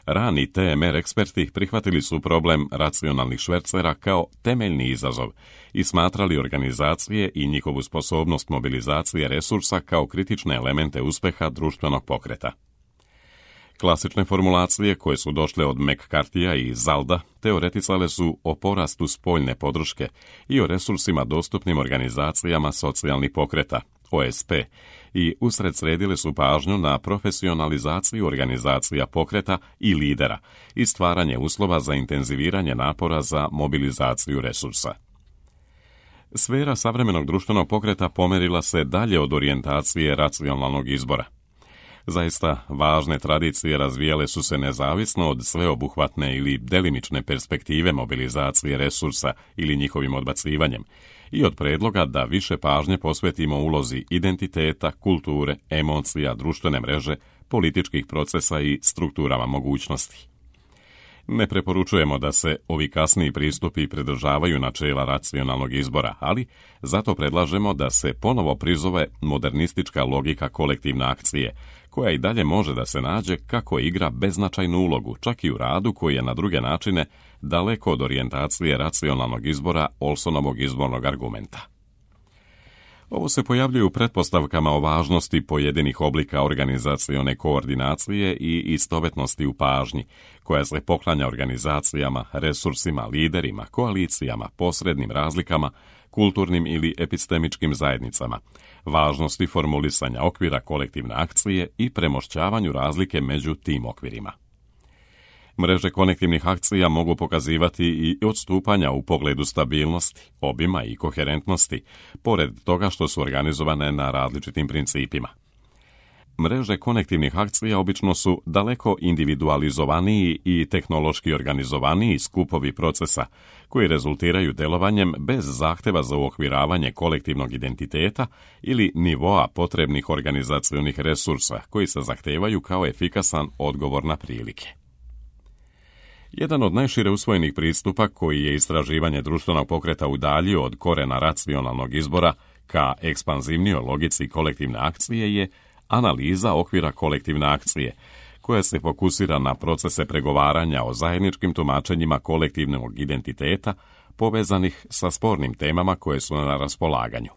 rani T M R eksperti prihvatili su problem racionalnih švercera kao temeljni izazov i smatrali organizacije i njihovu sposobnost mobilizacije resursa kao kritične elemente uspjeha društvenog pokreta. Klasične formulacije koje su došle od McCarthyja i Zalda teoreticale su o porastu spoljne podrške i o resursima dostupnim organizacijama socijalnih pokreta, O S P, i usredsredile su pažnju na profesionalizaciju organizacija pokreta i lidera i stvaranje uslova za intenziviranje napora za mobilizaciju resursa. Sfera savremenog društvenog pokreta pomerila se dalje od orijentacije racionalnog izbora. Zaista važne tradicije razvijale su se nezavisno od sveobuhvatne ili delimične perspektive mobilizacije resursa ili njihovim odbacivanjem i od predloga da više pažnje posvetimo ulozi identiteta, kulture, emocija, društvene mreže, političkih procesa i strukturama mogućnosti. Ne preporučujemo da se ovi kasniji pristupi pridržavaju načela racionalnog izbora, ali zato predlažemo da se ponovo prizove modernistička logika kolektivne akcije, koja i dalje može da se nađe kako igra beznačajnu ulogu, čak i u radu koji je na druge načine daleko od orijentacije racionalnog izbora Olsonovog izbornog argumenta. Ovo se pojavljuje u pretpostavkama o važnosti pojedinih oblika organizacione koordinacije i istovetnosti u pažnji, koja se poklanja organizacijama, resursima, liderima, koalicijama, posrednim razlikama, kulturnim ili epistemičkim zajednicama, važnosti formulisanja okvira kolektivne akcije i premošćavanju razlike među tim okvirima. Mreže konektivnih akcija mogu pokazivati i odstupanja u pogledu stabilnosti, obima i koherentnosti, pored toga što su organizovane na različitim principima. Mreže konektivnih akcija obično su daleko individualizovaniji i tehnološki organizovaniji skupovi procesa, koji rezultiraju delovanjem bez zahteva za uokviravanje kolektivnog identiteta ili nivoa potrebnih organizacionih resursa, koji se zahtevaju kao efikasan odgovor na prilike. Jedan od najšire usvojenih pristupa koji je istraživanje društvenog pokreta udaljio od korena racionalnog izbora ka ekspanzivnijoj logici kolektivne akcije je analiza okvira kolektivne akcije, koja se fokusira na procese pregovaranja o zajedničkim tumačenjima kolektivnog identiteta povezanih sa spornim temama koje su na raspolaganju.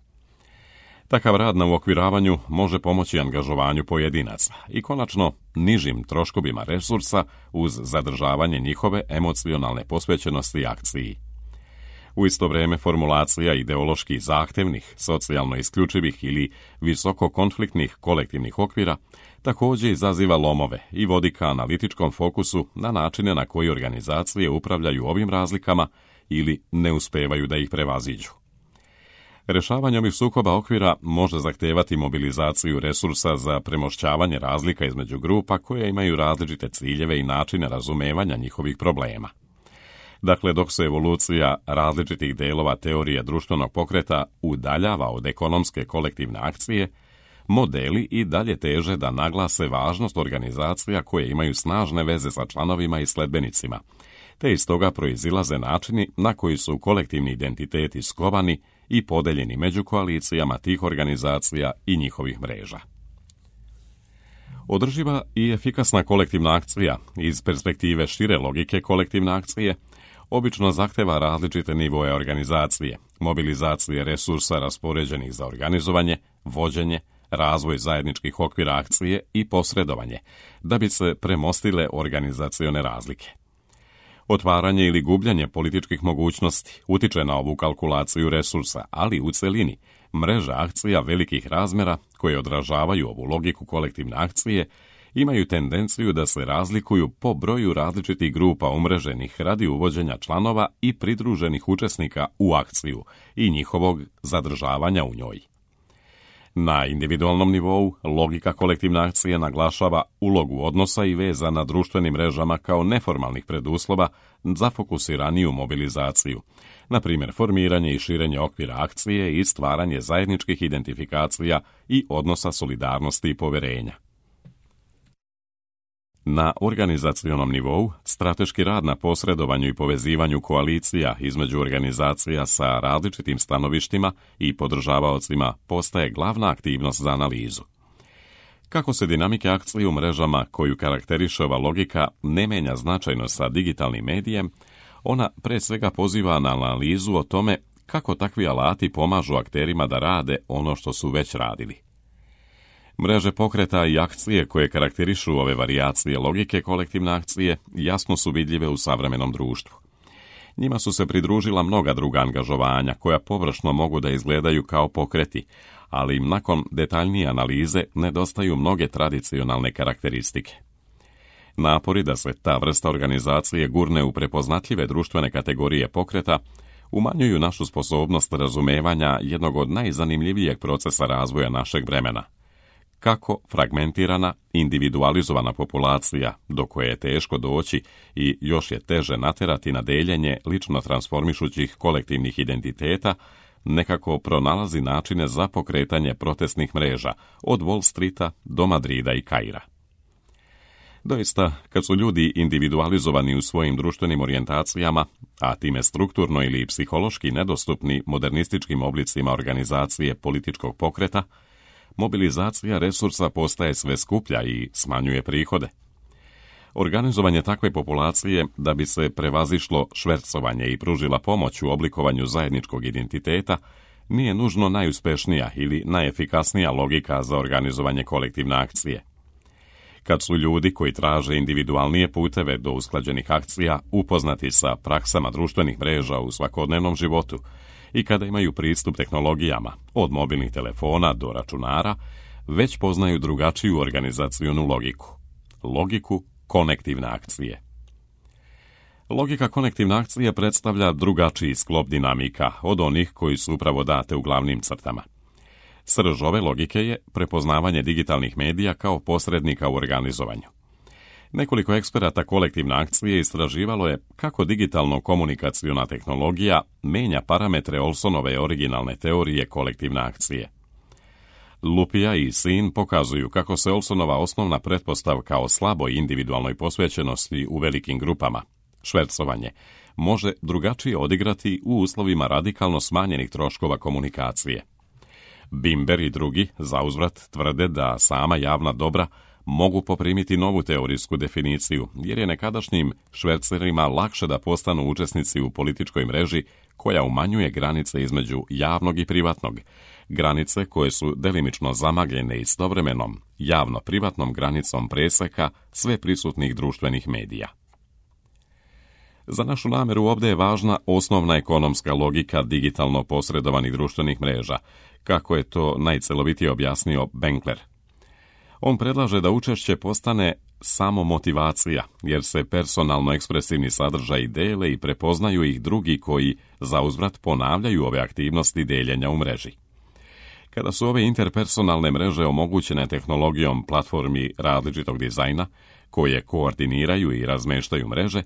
Takav rad na uokviravanju može pomoći angažovanju pojedinaca i konačno nižim troškovima resursa uz zadržavanje njihove emocionalne posvećenosti akciji. U isto vrijeme formulacija ideološki zahtevnih, socijalno isključivih ili visoko konfliktnih kolektivnih okvira također izaziva lomove i vodi ka analitičkom fokusu na načine na koji organizacije upravljaju ovim razlikama ili ne uspevaju da ih prevaziđu. Rješavanje ovih sukoba okvira može zahtevati mobilizaciju resursa za premošćavanje razlika između grupa koje imaju različite ciljeve i načine razumevanja njihovih problema. Dakle, dok se evolucija različitih delova teorije društvenog pokreta udaljava od ekonomske kolektivne akcije, modeli i dalje teže da naglase važnost organizacija koje imaju snažne veze sa članovima i sledbenicima, te iz toga proizilaze načini na koji su kolektivni identiteti skovani i podeljeni među koalicijama tih organizacija i njihovih mreža. Održiva i efikasna kolektivna akcija iz perspektive šire logike kolektivne akcije obično zahteva različite nivoe organizacije, mobilizacije resursa raspoređenih za organizovanje, vođenje, razvoj zajedničkih okvira akcije i posredovanje, da bi se premostile organizacione razlike. Otvaranje ili gubljenje političkih mogućnosti utiče na ovu kalkulaciju resursa, ali u celini mreža akcija velikih razmera koje odražavaju ovu logiku kolektivne akcije imaju tendenciju da se razlikuju po broju različitih grupa umreženih radi uvođenja članova i pridruženih učesnika u akciju i njihovog zadržavanja u njoj. Na individualnom nivou, logika kolektivne akcije naglašava ulogu odnosa i veza na društvenim mrežama kao neformalnih preduslova za fokusiraniju mobilizaciju, na primjer formiranje i širenje okvira akcije i stvaranje zajedničkih identifikacija i odnosa solidarnosti i poverenja. Na organizacionom nivou, strateški rad na posredovanju i povezivanju koalicija između organizacija sa različitim stanovištima i podržavaocima postaje glavna aktivnost za analizu. Kako se dinamike akcije u mrežama koju karakteriše ova logika ne menja značajno sa digitalnim medijem, ona pre svega poziva na analizu o tome kako takvi alati pomažu akterima da rade ono što su već radili. Mreže pokreta i akcije koje karakterišu ove varijacije logike kolektivne akcije jasno su vidljive u savremenom društvu. Njima su se pridružila mnoga druga angažovanja koja površno mogu da izgledaju kao pokreti, ali im nakon detaljnije analize nedostaju mnoge tradicionalne karakteristike. Napori da se ta vrsta organizacije gurne u prepoznatljive društvene kategorije pokreta umanjuju našu sposobnost razumevanja jednog od najzanimljivijeg procesa razvoja našeg vremena. Kako fragmentirana, individualizovana populacija, do koje je teško doći i još je teže naterati na deljenje lično transformišućih kolektivnih identiteta, nekako pronalazi načine za pokretanje protestnih mreža od Wall Streeta do Madrida i Kaira. Doista, kad su ljudi individualizovani u svojim društvenim orijentacijama, a time strukturno ili psihološki nedostupni modernističkim oblicima organizacije političkog pokreta, mobilizacija resursa postaje sve skuplja i smanjuje prihode. Organizovanje takve populacije da bi se prevazišlo švercovanje i pružila pomoć u oblikovanju zajedničkog identiteta nije nužno najuspešnija ili najefikasnija logika za organizovanje kolektivne akcije. Kad su ljudi koji traže individualnije puteve do usklađenih akcija upoznati sa praksama društvenih mreža u svakodnevnom životu i kada imaju pristup tehnologijama, od mobilnih telefona do računara, već poznaju drugačiju organizacionu logiku. Logiku konektivne akcije. Logika konektivne akcije predstavlja drugačiji sklop dinamika od onih koji su upravo date u glavnim crtama. Srž ove logike je prepoznavanje digitalnih medija kao posrednika u organizovanju. Nekoliko eksperata kolektivne akcije istraživalo je kako digitalno-komunikaciona tehnologija menja parametre Olsonove originalne teorije kolektivne akcije. Lupija i Sin pokazuju kako se Olsonova osnovna pretpostavka o slaboj individualnoj posvećenosti u velikim grupama, švercovanje, može drugačije odigrati u uslovima radikalno smanjenih troškova komunikacije. Bimber i drugi zauzvrat tvrde da sama javna dobra mogu poprimiti novu teorijsku definiciju, jer je nekadašnjim švercerima lakše da postanu učesnici u političkoj mreži koja umanjuje granice između javnog i privatnog, granice koje su delimično zamagljene istovremenom javno-privatnom granicom preseka sve prisutnih društvenih medija. Za našu nameru ovdje je važna osnovna ekonomska logika digitalno posredovanih društvenih mreža, kako je to najcelovitije objasnio Benkler. On predlaže da učešće postane samo motivacija, jer se personalno ekspresivni sadržaji dele i prepoznaju ih drugi koji zauzvrat ponavljaju ove aktivnosti deljenja u mreži. Kada su ove interpersonalne mreže omogućene tehnologijom platformi različitog dizajna, koje koordiniraju i razmeštaju mreže,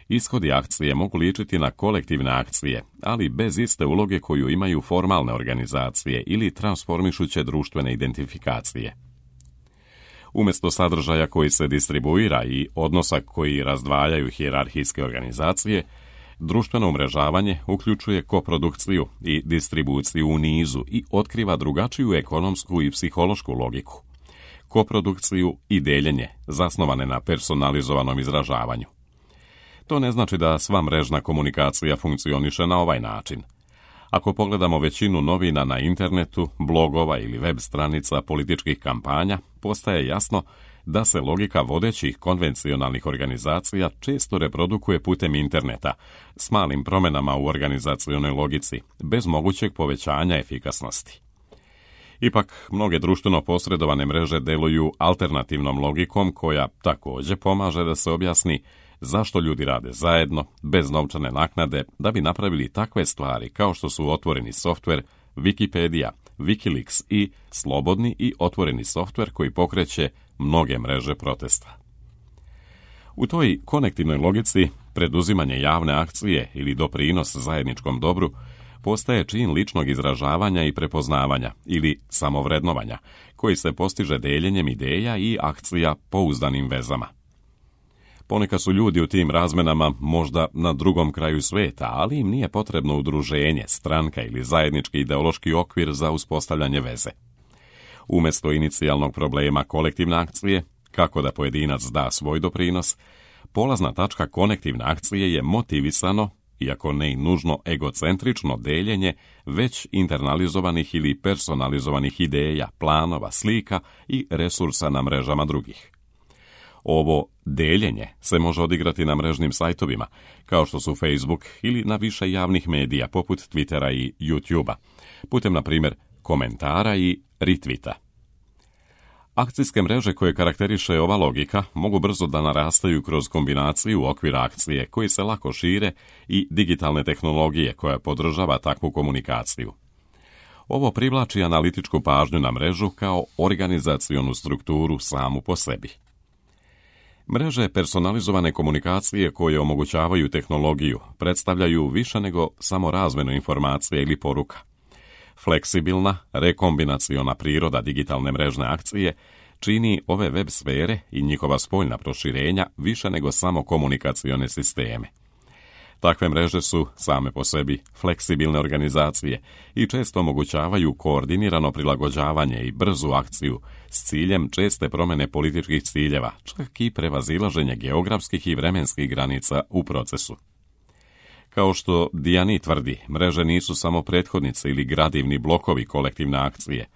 Ishodi akcije mogu ličiti na kolektivne akcije, ali bez iste uloge koju imaju formalne organizacije ili transformišuće društvene identifikacije. Umjesto sadržaja koji se distribuira i odnosa koji razdvajaju hijerarhijske organizacije, društveno umrežavanje uključuje koprodukciju i distribuciju u nizu i otkriva drugačiju ekonomsku i psihološku logiku. Koprodukciju i deljenje, zasnovane na personalizovanom izražavanju. To ne znači da sva mrežna komunikacija funkcioniše na ovaj način. Ako pogledamo većinu novina na internetu, blogova ili web stranica političkih kampanja, postaje jasno da se logika vodećih konvencionalnih organizacija često reprodukuje putem interneta, s malim promjenama u organizacionoj logici, bez mogućeg povećanja efikasnosti. Ipak, mnoge društveno posredovane mreže deluju alternativnom logikom koja također pomaže da se objasni zašto ljudi rade zajedno, bez novčane naknade, da bi napravili takve stvari kao što su otvoreni softver, Wikipedia, Wikileaks i slobodni i otvoreni softver koji pokreće mnoge mreže protesta. U toj konektivnoj logici preduzimanje javne akcije ili doprinos zajedničkom dobru postaje čin ličnog izražavanja i prepoznavanja ili samovrednovanja, koji se postiže deljenjem ideja i akcija pouzdanim vezama. Ponekad su ljudi u tim razmenama možda na drugom kraju sveta, ali im nije potrebno udruženje, stranka ili zajednički ideološki okvir za uspostavljanje veze. Umjesto inicijalnog problema kolektivne akcije, kako da pojedinac da svoj doprinos, polazna tačka konektivne akcije je motivisano, iako ne i nužno egocentrično deljenje već internalizovanih ili personalizovanih ideja, planova, slika i resursa na mrežama drugih. Ovo deljenje se može odigrati na mrežnim sajtovima, kao što su Facebook ili na više javnih medija poput Twittera i YouTubea, putem, na primjer, komentara i retvita. Akcijske mreže koje karakteriše ova logika mogu brzo da narastaju kroz kombinaciju okvira akcije koji se lako šire i digitalne tehnologije koja podržava takvu komunikaciju. Ovo privlači analitičku pažnju na mrežu kao organizacionu strukturu samu po sebi. Mreže personalizovane komunikacije koje omogućavaju tehnologiju predstavljaju više nego samo razmjenu informacija ili poruka. Fleksibilna, rekombinaciona priroda digitalne mrežne akcije čini ove web sfere i njihova spoljna proširenja više nego samo komunikacione sisteme. Takve mreže su same po sebi fleksibilne organizacije i često omogućavaju koordinirano prilagođavanje i brzu akciju s ciljem česte promjene političkih ciljeva, čak i prevazilaženje geografskih i vremenskih granica u procesu. Kao što Diani tvrdi, mreže nisu samo prethodnice ili gradivni blokovi kolektivne akcije.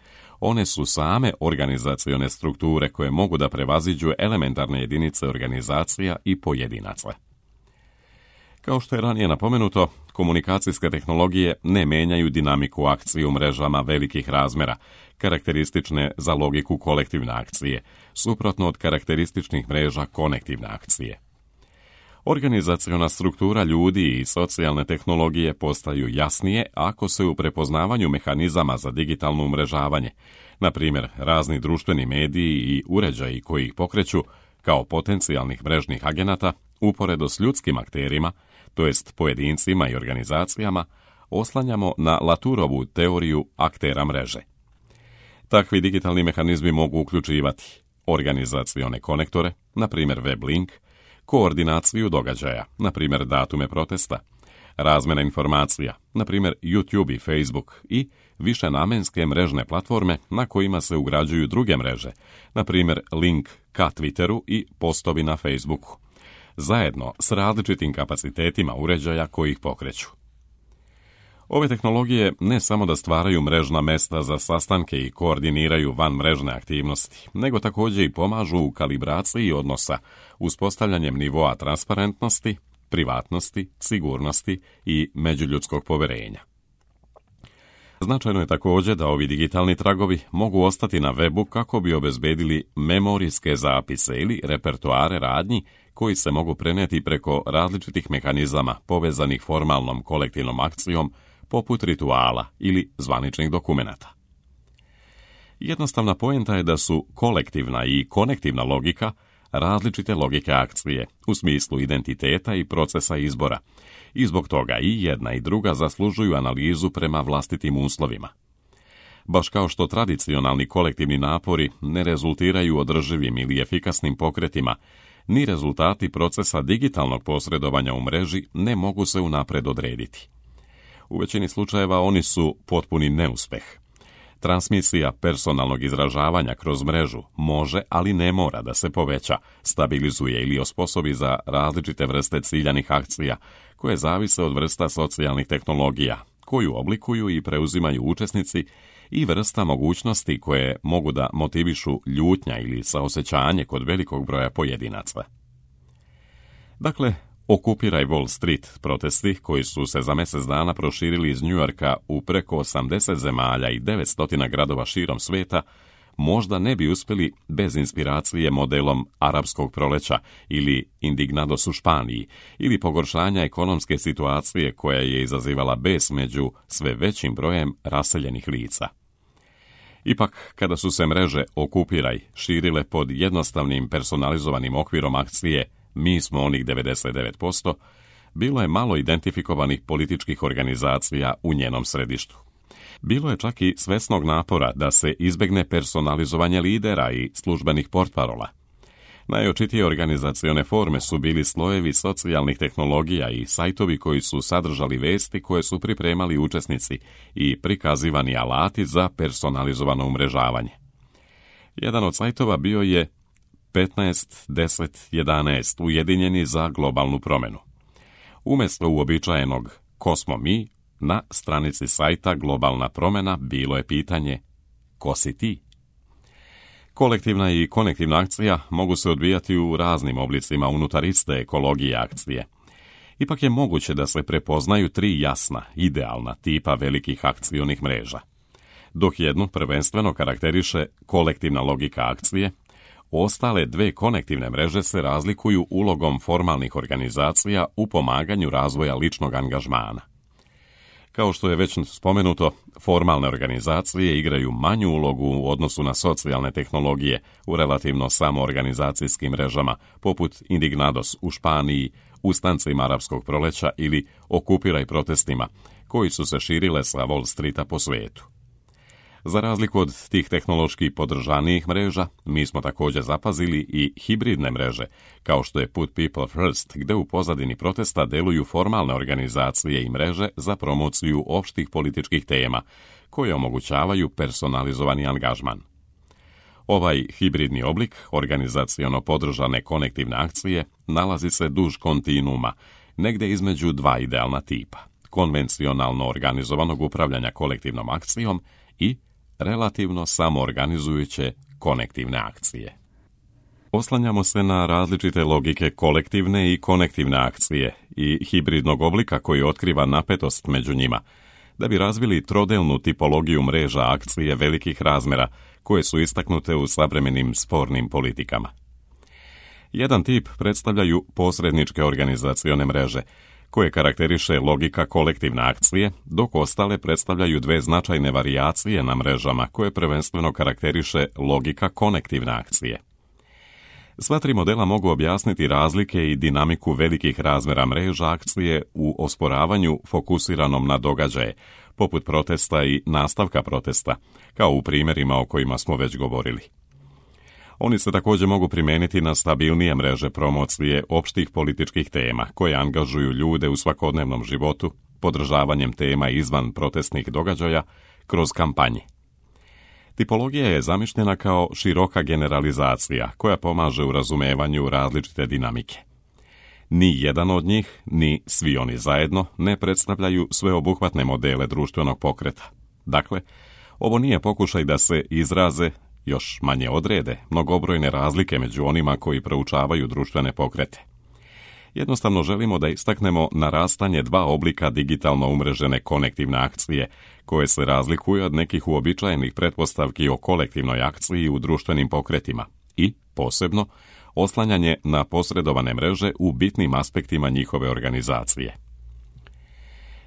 One su same organizacione strukture koje mogu da prevaziđu elementarne jedinice organizacija i pojedinaca. Kao što je ranije napomenuto, komunikacijske tehnologije ne menjaju dinamiku akcije u mrežama velikih razmjera, karakteristične za logiku kolektivne akcije, suprotno od karakterističnih mreža konektivne akcije. Organizaciona struktura ljudi i socijalne tehnologije postaju jasnije ako se u prepoznavanju mehanizama za digitalno umrežavanje, na primjer razni društveni mediji i uređaji koji ih pokreću, kao potencijalnih mrežnih agenata, uporedo s ljudskim akterima, to jest pojedincima i organizacijama, oslanjamo na Laturovu teoriju aktera mreže. Takvi digitalni mehanizmi mogu uključivati organizacione konektore, na primjer web link, koordinaciju događaja, na primjer datume protesta, razmjena informacija, na primjer YouTube i Facebook i višenamenske mrežne platforme na kojima se ugrađuju druge mreže, na primjer link ka Twitteru i postovi na Facebooku, zajedno s različitim kapacitetima uređaja koji ih pokreću. Ove tehnologije ne samo da stvaraju mrežna mesta za sastanke i koordiniraju vanmrežne aktivnosti, nego također i pomažu u kalibraciji odnosa, uspostavljanjem nivoa transparentnosti, privatnosti, sigurnosti i međuljudskog poverenja. Značajno je također da ovi digitalni tragovi mogu ostati na webu kako bi obezbedili memorijske zapise ili repertoare radnji koji se mogu prenijeti preko različitih mehanizama povezanih formalnom kolektivnom akcijom poput rituala ili zvaničnih dokumenata. Jednostavna poenta je da su kolektivna i konektivna logika različite logike akcije u smislu identiteta i procesa izbora i zbog toga i jedna i druga zaslužuju analizu prema vlastitim uslovima. Baš kao što tradicionalni kolektivni napori ne rezultiraju održivim ili efikasnim pokretima, ni rezultati procesa digitalnog posredovanja u mreži ne mogu se unapred odrediti. U većini slučajeva oni su potpuni neuspeh. Transmisija personalnog izražavanja kroz mrežu može, ali ne mora da se poveća, stabilizuje ili osposobi za različite vrste ciljanih akcija, koje zavise od vrsta socijalnih tehnologija, koju oblikuju i preuzimaju učesnici i vrsta mogućnosti koje mogu da motivišu ljutnja ili saosećanje kod velikog broja pojedinaca. Dakle, Okupiraj Wall Street protesti, koji su se za mjesec dana proširili iz Njujorka u preko osamdeset zemalja i devetsto gradova širom sveta, možda ne bi uspjeli bez inspiracije modelom arapskog proleća ili indignados u Španiji ili pogoršanja ekonomske situacije koja je izazivala bes među sve većim brojem raseljenih lica. Ipak, kada su se mreže Okupiraj širile pod jednostavnim personalizovanim okvirom akcije Mi smo onih devedeset devet posto, bilo je malo identifikovanih političkih organizacija u njenom središtu. Bilo je čak i svesnog napora da se izbegne personalizovanje lidera i službenih portparola. Najočitije organizacione forme su bili slojevi socijalnih tehnologija i sajtovi koji su sadržali vesti koje su pripremali učesnici i prikazivani alati za personalizovano umrežavanje. Jedan od sajtova bio je petnaest deset jedanaest ujedinjeni za globalnu promjenu. Umjesto uobičajenog Ko smo mi, na stranici sajta Globalna promjena bilo je pitanje Ko si ti? Kolektivna i konektivna akcija mogu se odvijati u raznim oblicima unutar iste ekologije akcije. Ipak je moguće da se prepoznaju tri jasna, idealna tipa velikih akcionih mreža. Dok jednu prvenstveno karakteriše kolektivna logika akcije, ostale dve konektivne mreže se razlikuju ulogom formalnih organizacija u pomaganju razvoja ličnog angažmana. Kao što je već spomenuto, formalne organizacije igraju manju ulogu u odnosu na socijalne tehnologije u relativno samoorganizacijskim mrežama, poput Indignados u Španiji, ustancima arapskog proleća ili Okupiraj protestima, koji su se širile sa Wall Streeta po svijetu. Za razliku od tih tehnološki podržanijih mreža, mi smo također zapazili i hibridne mreže, kao što je Put People First, gde u pozadini protesta deluju formalne organizacije i mreže za promociju opštih političkih tema, koje omogućavaju personalizovani angažman. Ovaj hibridni oblik organizaciono podržane konektivne akcije nalazi se duž kontinuuma, negde između dva idealna tipa, konvencionalno organizovanog upravljanja kolektivnom akcijom i relativno samoorganizujuće konektivne akcije. Oslanjamo se na različite logike kolektivne i konektivne akcije i hibridnog oblika koji otkriva napetost među njima, da bi razvili trodelnu tipologiju mreža akcije velikih razmjera koje su istaknute u savremenim spornim politikama. Jedan tip predstavljaju posredničke organizacione mreže, koje karakteriše logika kolektivne akcije, dok ostale predstavljaju dve značajne varijacije na mrežama koje prvenstveno karakteriše logika konektivne akcije. Sva tri modela mogu objasniti razlike i dinamiku velikih razmjera mreža akcije u osporavanju fokusiranom na događaje, poput protesta i nastavka protesta, kao u primjerima o kojima smo već govorili. Oni se također mogu primijeniti na stabilnije mreže promocije opštih političkih tema koje angažuju ljude u svakodnevnom životu, podržavanjem tema izvan protestnih događaja kroz kampanje. Tipologija je zamišljena kao široka generalizacija koja pomaže u razumevanju različite dinamike. Ni jedan od njih, ni svi oni zajedno, ne predstavljaju sveobuhvatne modele društvenog pokreta. Dakle, ovo nije pokušaj da se izraze, još manje odrede, mnogobrojne razlike među onima koji proučavaju društvene pokrete. Jednostavno želimo da istaknemo narastanje dva oblika digitalno umrežene konektivne akcije, koje se razlikuju od nekih uobičajenih pretpostavki o kolektivnoj akciji u društvenim pokretima i, posebno, oslanjanje na posredovane mreže u bitnim aspektima njihove organizacije.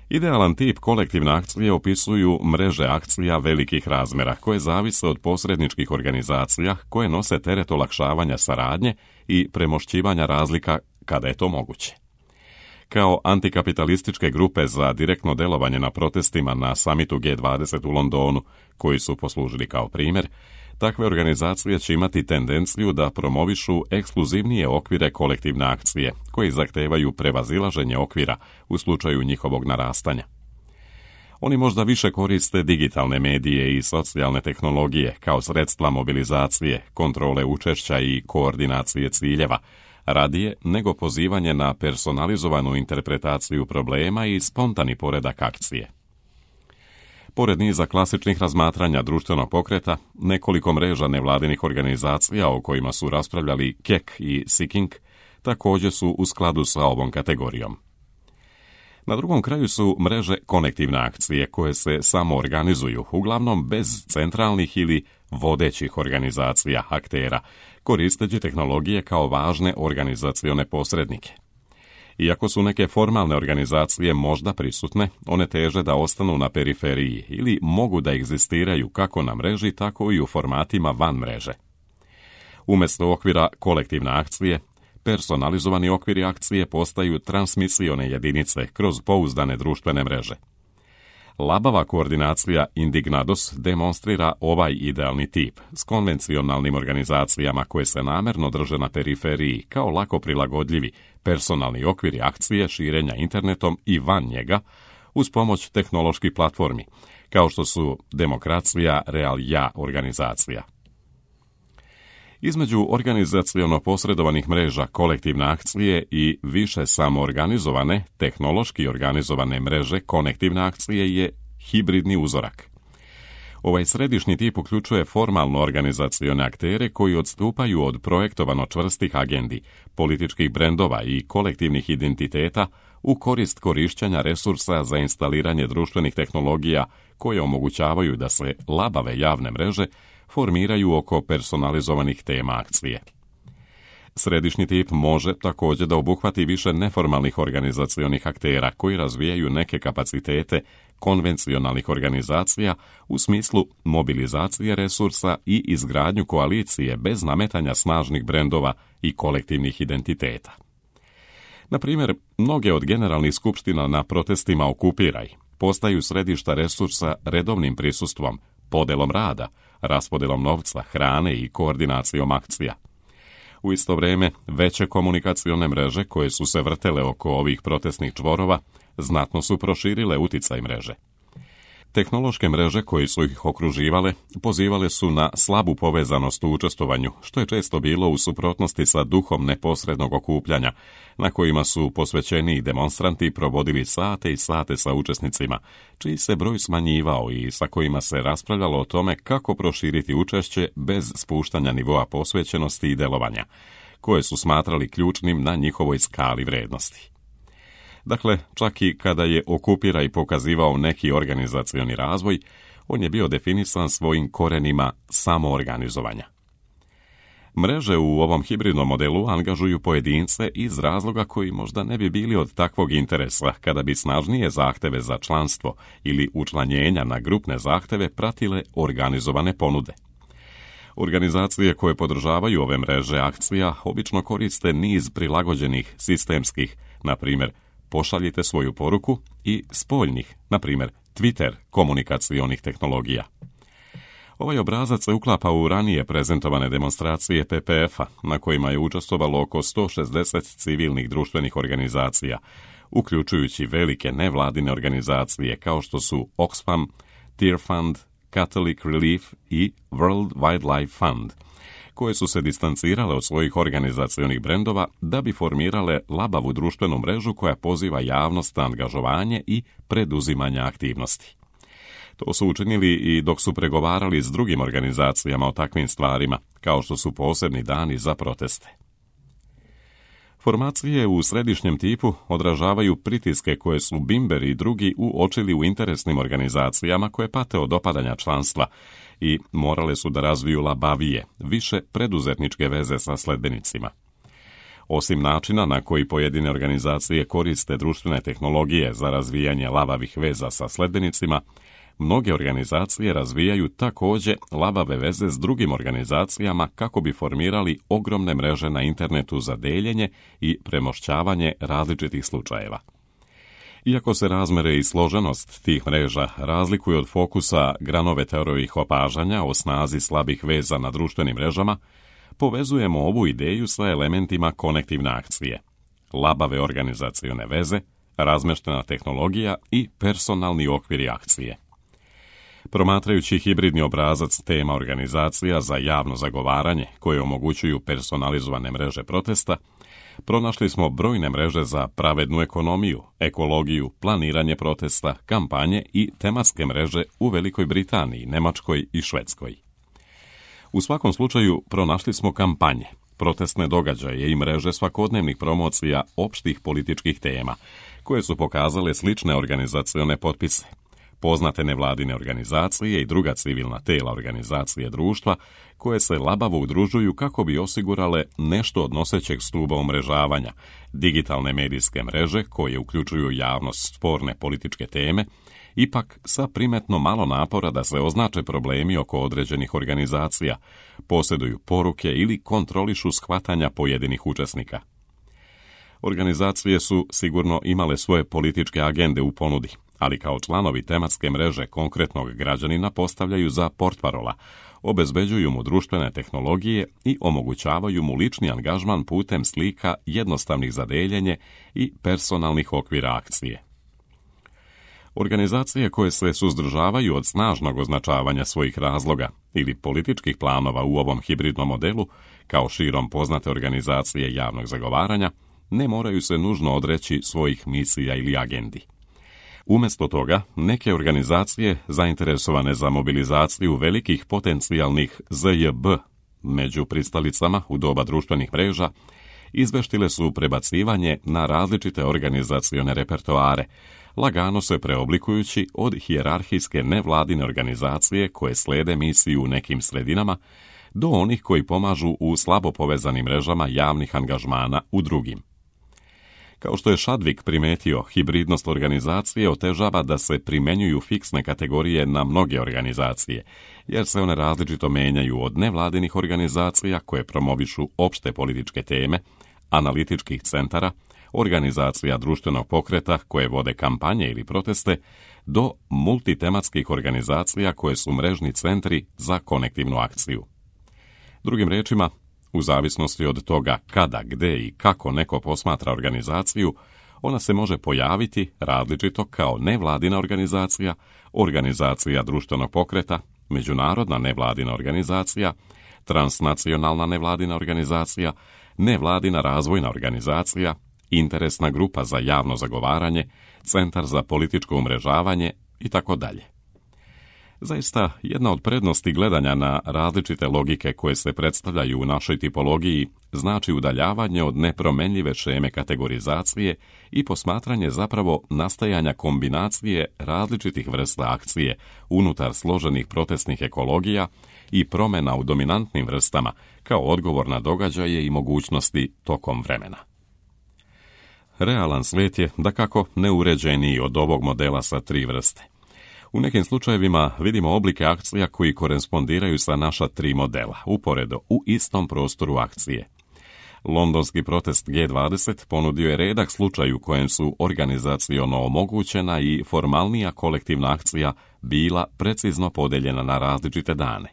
Idealan tip kolektivne akcije opisuju mreže akcija velikih razmjera koje zavise od posredničkih organizacija koje nose teret olakšavanja saradnje i premošćivanja razlika kada je to moguće. Kao antikapitalističke grupe za direktno delovanje na protestima na samitu G dvadeset u Londonu, koji su poslužili kao primjer, takve organizacije će imati tendenciju da promovišu ekskluzivnije okvire kolektivne akcije, koji zahtevaju prevazilaženje okvira u slučaju njihovog narastanja. Oni možda više koriste digitalne medije i socijalne tehnologije kao sredstva mobilizacije, kontrole učešća i koordinacije ciljeva, radije nego pozivanje na personalizovanu interpretaciju problema i spontani poredak akcije. Pored niza klasičnih razmatranja društvenog pokreta, nekoliko mreža nevladinih organizacija o kojima su raspravljali Keck i Seeking također su u skladu sa ovom kategorijom. Na drugom kraju su mreže konektivne akcije koje se samo organizuju, uglavnom bez centralnih ili vodećih organizacija aktera, koristeći tehnologije kao važne organizacione posrednike. Iako su neke formalne organizacije možda prisutne, one teže da ostanu na periferiji ili mogu da egzistiraju kako na mreži, tako i u formatima van mreže. Umjesto okvira kolektivne akcije, personalizovani okviri akcije postaju transmisione jedinice kroz pouzdane društvene mreže. Labava koordinacija Indignados demonstrira ovaj idealni tip s konvencionalnim organizacijama koje se namjerno drže na periferiji kao lako prilagodljivi personalni okviri akcije širenja internetom i van njega uz pomoć tehnoloških platformi, kao što su Demokracija Real-Ja organizacija. Između organizaciono posredovanih mreža kolektivne akcije i više samoorganizovane, tehnološki organizovane mreže konektivne akcije je hibridni uzorak. Ovaj središnji tip uključuje formalno organizacione aktere koji odstupaju od projektovano čvrstih agendi, političkih brendova i kolektivnih identiteta u korist korišćenja resursa za instaliranje društvenih tehnologija koje omogućavaju da se labave javne mreže formiraju oko personalizovanih tema akcije. Središnji tip može također da obuhvati više neformalnih organizacionih aktera koji razvijaju neke kapacitete konvencionalnih organizacija u smislu mobilizacije resursa i izgradnju koalicije bez nametanja snažnih brendova i kolektivnih identiteta. Na primjer, mnoge od generalnih skupština na protestima Okupiraj postaju središta resursa redovnim prisustvom, podelom rada, raspodelom novca, hrane i koordinacijom akcija. U isto vrijeme, veće komunikacione mreže koje su se vrtele oko ovih protestnih čvorova znatno su proširile uticaj mreže. Tehnološke mreže koje su ih okruživale pozivale su na slabu povezanost u učestvovanju, što je često bilo u suprotnosti sa duhom neposrednog okupljanja, na kojima su posvećeni demonstranti provodili sate i sate sa učesnicima, čiji se broj smanjivao i sa kojima se raspravljalo o tome kako proširiti učešće bez spuštanja nivoa posvećenosti i delovanja, koje su smatrali ključnim na njihovoj skali vrednosti. Dakle, čak i kada je Okupiraj pokazivao neki organizacioni razvoj, on je bio definisan svojim korenima samoorganizovanja. Mreže u ovom hibridnom modelu angažuju pojedince iz razloga koji možda ne bi bili od takvog interesa kada bi snažnije zahteve za članstvo ili učlanjenja na grupne zahteve pratile organizovane ponude. Organizacije koje podržavaju ove mreže akcija obično koriste niz prilagođenih sistemskih, na primjer, pošaljite svoju poruku i spoljnih, na primjer Twitter, komunikacionih tehnologija. Ovaj obrazac se uklapa u ranije prezentovane demonstracije P P F-a, na kojima je učestvovalo oko sto šezdeset civilnih društvenih organizacija, uključujući velike nevladine organizacije kao što su Oxfam, Tearfund, Catholic Relief i World Wildlife Fund, koje su se distancirale od svojih organizacionih brendova da bi formirale labavu društvenu mrežu koja poziva javnost na angažovanje i preduzimanje aktivnosti. To su učinili i dok su pregovarali s drugim organizacijama o takvim stvarima, kao što su posebni dani za proteste. Formacije u središnjem tipu odražavaju pritiske koje su Bimber i drugi uočili u interesnim organizacijama koje pate od opadanja članstva i morale su da razviju labavije, više preduzetničke veze sa sledbenicima. Osim načina na koji pojedine organizacije koriste društvene tehnologije za razvijanje labavih veza sa sledbenicima, mnoge organizacije razvijaju također labave veze s drugim organizacijama kako bi formirali ogromne mreže na internetu za deljenje i premošćavanje različitih slučajeva. Iako se razmere i složenost tih mreža razlikuju od fokusa Granovetterovih opažanja o snazi slabih veza na društvenim mrežama, povezujemo ovu ideju sa elementima konektivne akcije, labave organizacione veze, razmeštena tehnologija i personalni okviri akcije. Promatrajući hibridni obrazac tema organizacija za javno zagovaranje koje omogućuju personalizovane mreže protesta, pronašli smo brojne mreže za pravednu ekonomiju, ekologiju, planiranje protesta, kampanje i tematske mreže u Velikoj Britaniji, Nemačkoj i Švedskoj. U svakom slučaju pronašli smo kampanje, protestne događaje i mreže svakodnevnih promocija opštih političkih tema, koje su pokazale slične organizacione potpise, poznate nevladine organizacije i druga civilna tela organizacije društva, koje se labavo udružuju kako bi osigurale nešto od nosećeg stuba umrežavanja, digitalne medijske mreže koje uključuju javnost sporne političke teme, ipak sa primetno malo napora da se označe problemi oko određenih organizacija, posjeduju poruke ili kontrolišu shvatanja pojedinih učesnika. Organizacije su sigurno imale svoje političke agende u ponudi, ali kao članovi tematske mreže konkretnog građanina postavljaju za portparola, obezbeđuju mu društvene tehnologije i omogućavaju mu lični angažman putem slika jednostavnih za deljenje i personalnih okvira akcije. Organizacije koje se suzdržavaju od snažnog označavanja svojih razloga ili političkih planova u ovom hibridnom modelu, kao širom poznate organizacije javnog zagovaranja, ne moraju se nužno odreći svojih misija ili agendi. Umjesto toga, neke organizacije zainteresovane za mobilizaciju velikih potencijalnih Z J B među pristalicama u doba društvenih mreža izveštile su prebacivanje na različite organizacione repertoare, lagano se preoblikujući od hijerarhijske nevladine organizacije koje slede misiju u nekim sredinama do onih koji pomažu u slabo povezanim mrežama javnih angažmana u drugim. Kao što je Chadwick primetio, hibridnost organizacije otežava da se primenjuju fiksne kategorije na mnoge organizacije, jer se one različito menjaju od nevladinih organizacija koje promovišu opšte političke teme, analitičkih centara, organizacija društvenog pokreta koje vode kampanje ili proteste, do multitematskih organizacija koje su mrežni centri za konektivnu akciju. Drugim rečima, u zavisnosti od toga kada, gde i kako neko posmatra organizaciju, ona se može pojaviti različito kao nevladina organizacija, organizacija društvenog pokreta, međunarodna nevladina organizacija, transnacionalna nevladina organizacija, nevladina razvojna organizacija, interesna grupa za javno zagovaranje, centar za političko umrežavanje i tako dalje. Zaista, jedna od prednosti gledanja na različite logike koje se predstavljaju u našoj tipologiji znači udaljavanje od nepromenljive šeme kategorizacije i posmatranje zapravo nastajanja kombinacije različitih vrsta akcije unutar složenih protestnih ekologija i promjena u dominantnim vrstama kao odgovor na događaje i mogućnosti tokom vremena. Realan svijet je dakako neuređeniji od ovog modela sa tri vrste. U nekim slučajevima vidimo oblike akcija koji korespondiraju sa naša tri modela, uporedo u istom prostoru akcije. Londonski protest G dvadeset ponudio je redak slučaj u kojem su organizaciono omogućena i formalnija kolektivna akcija bila precizno podeljena na različite dane.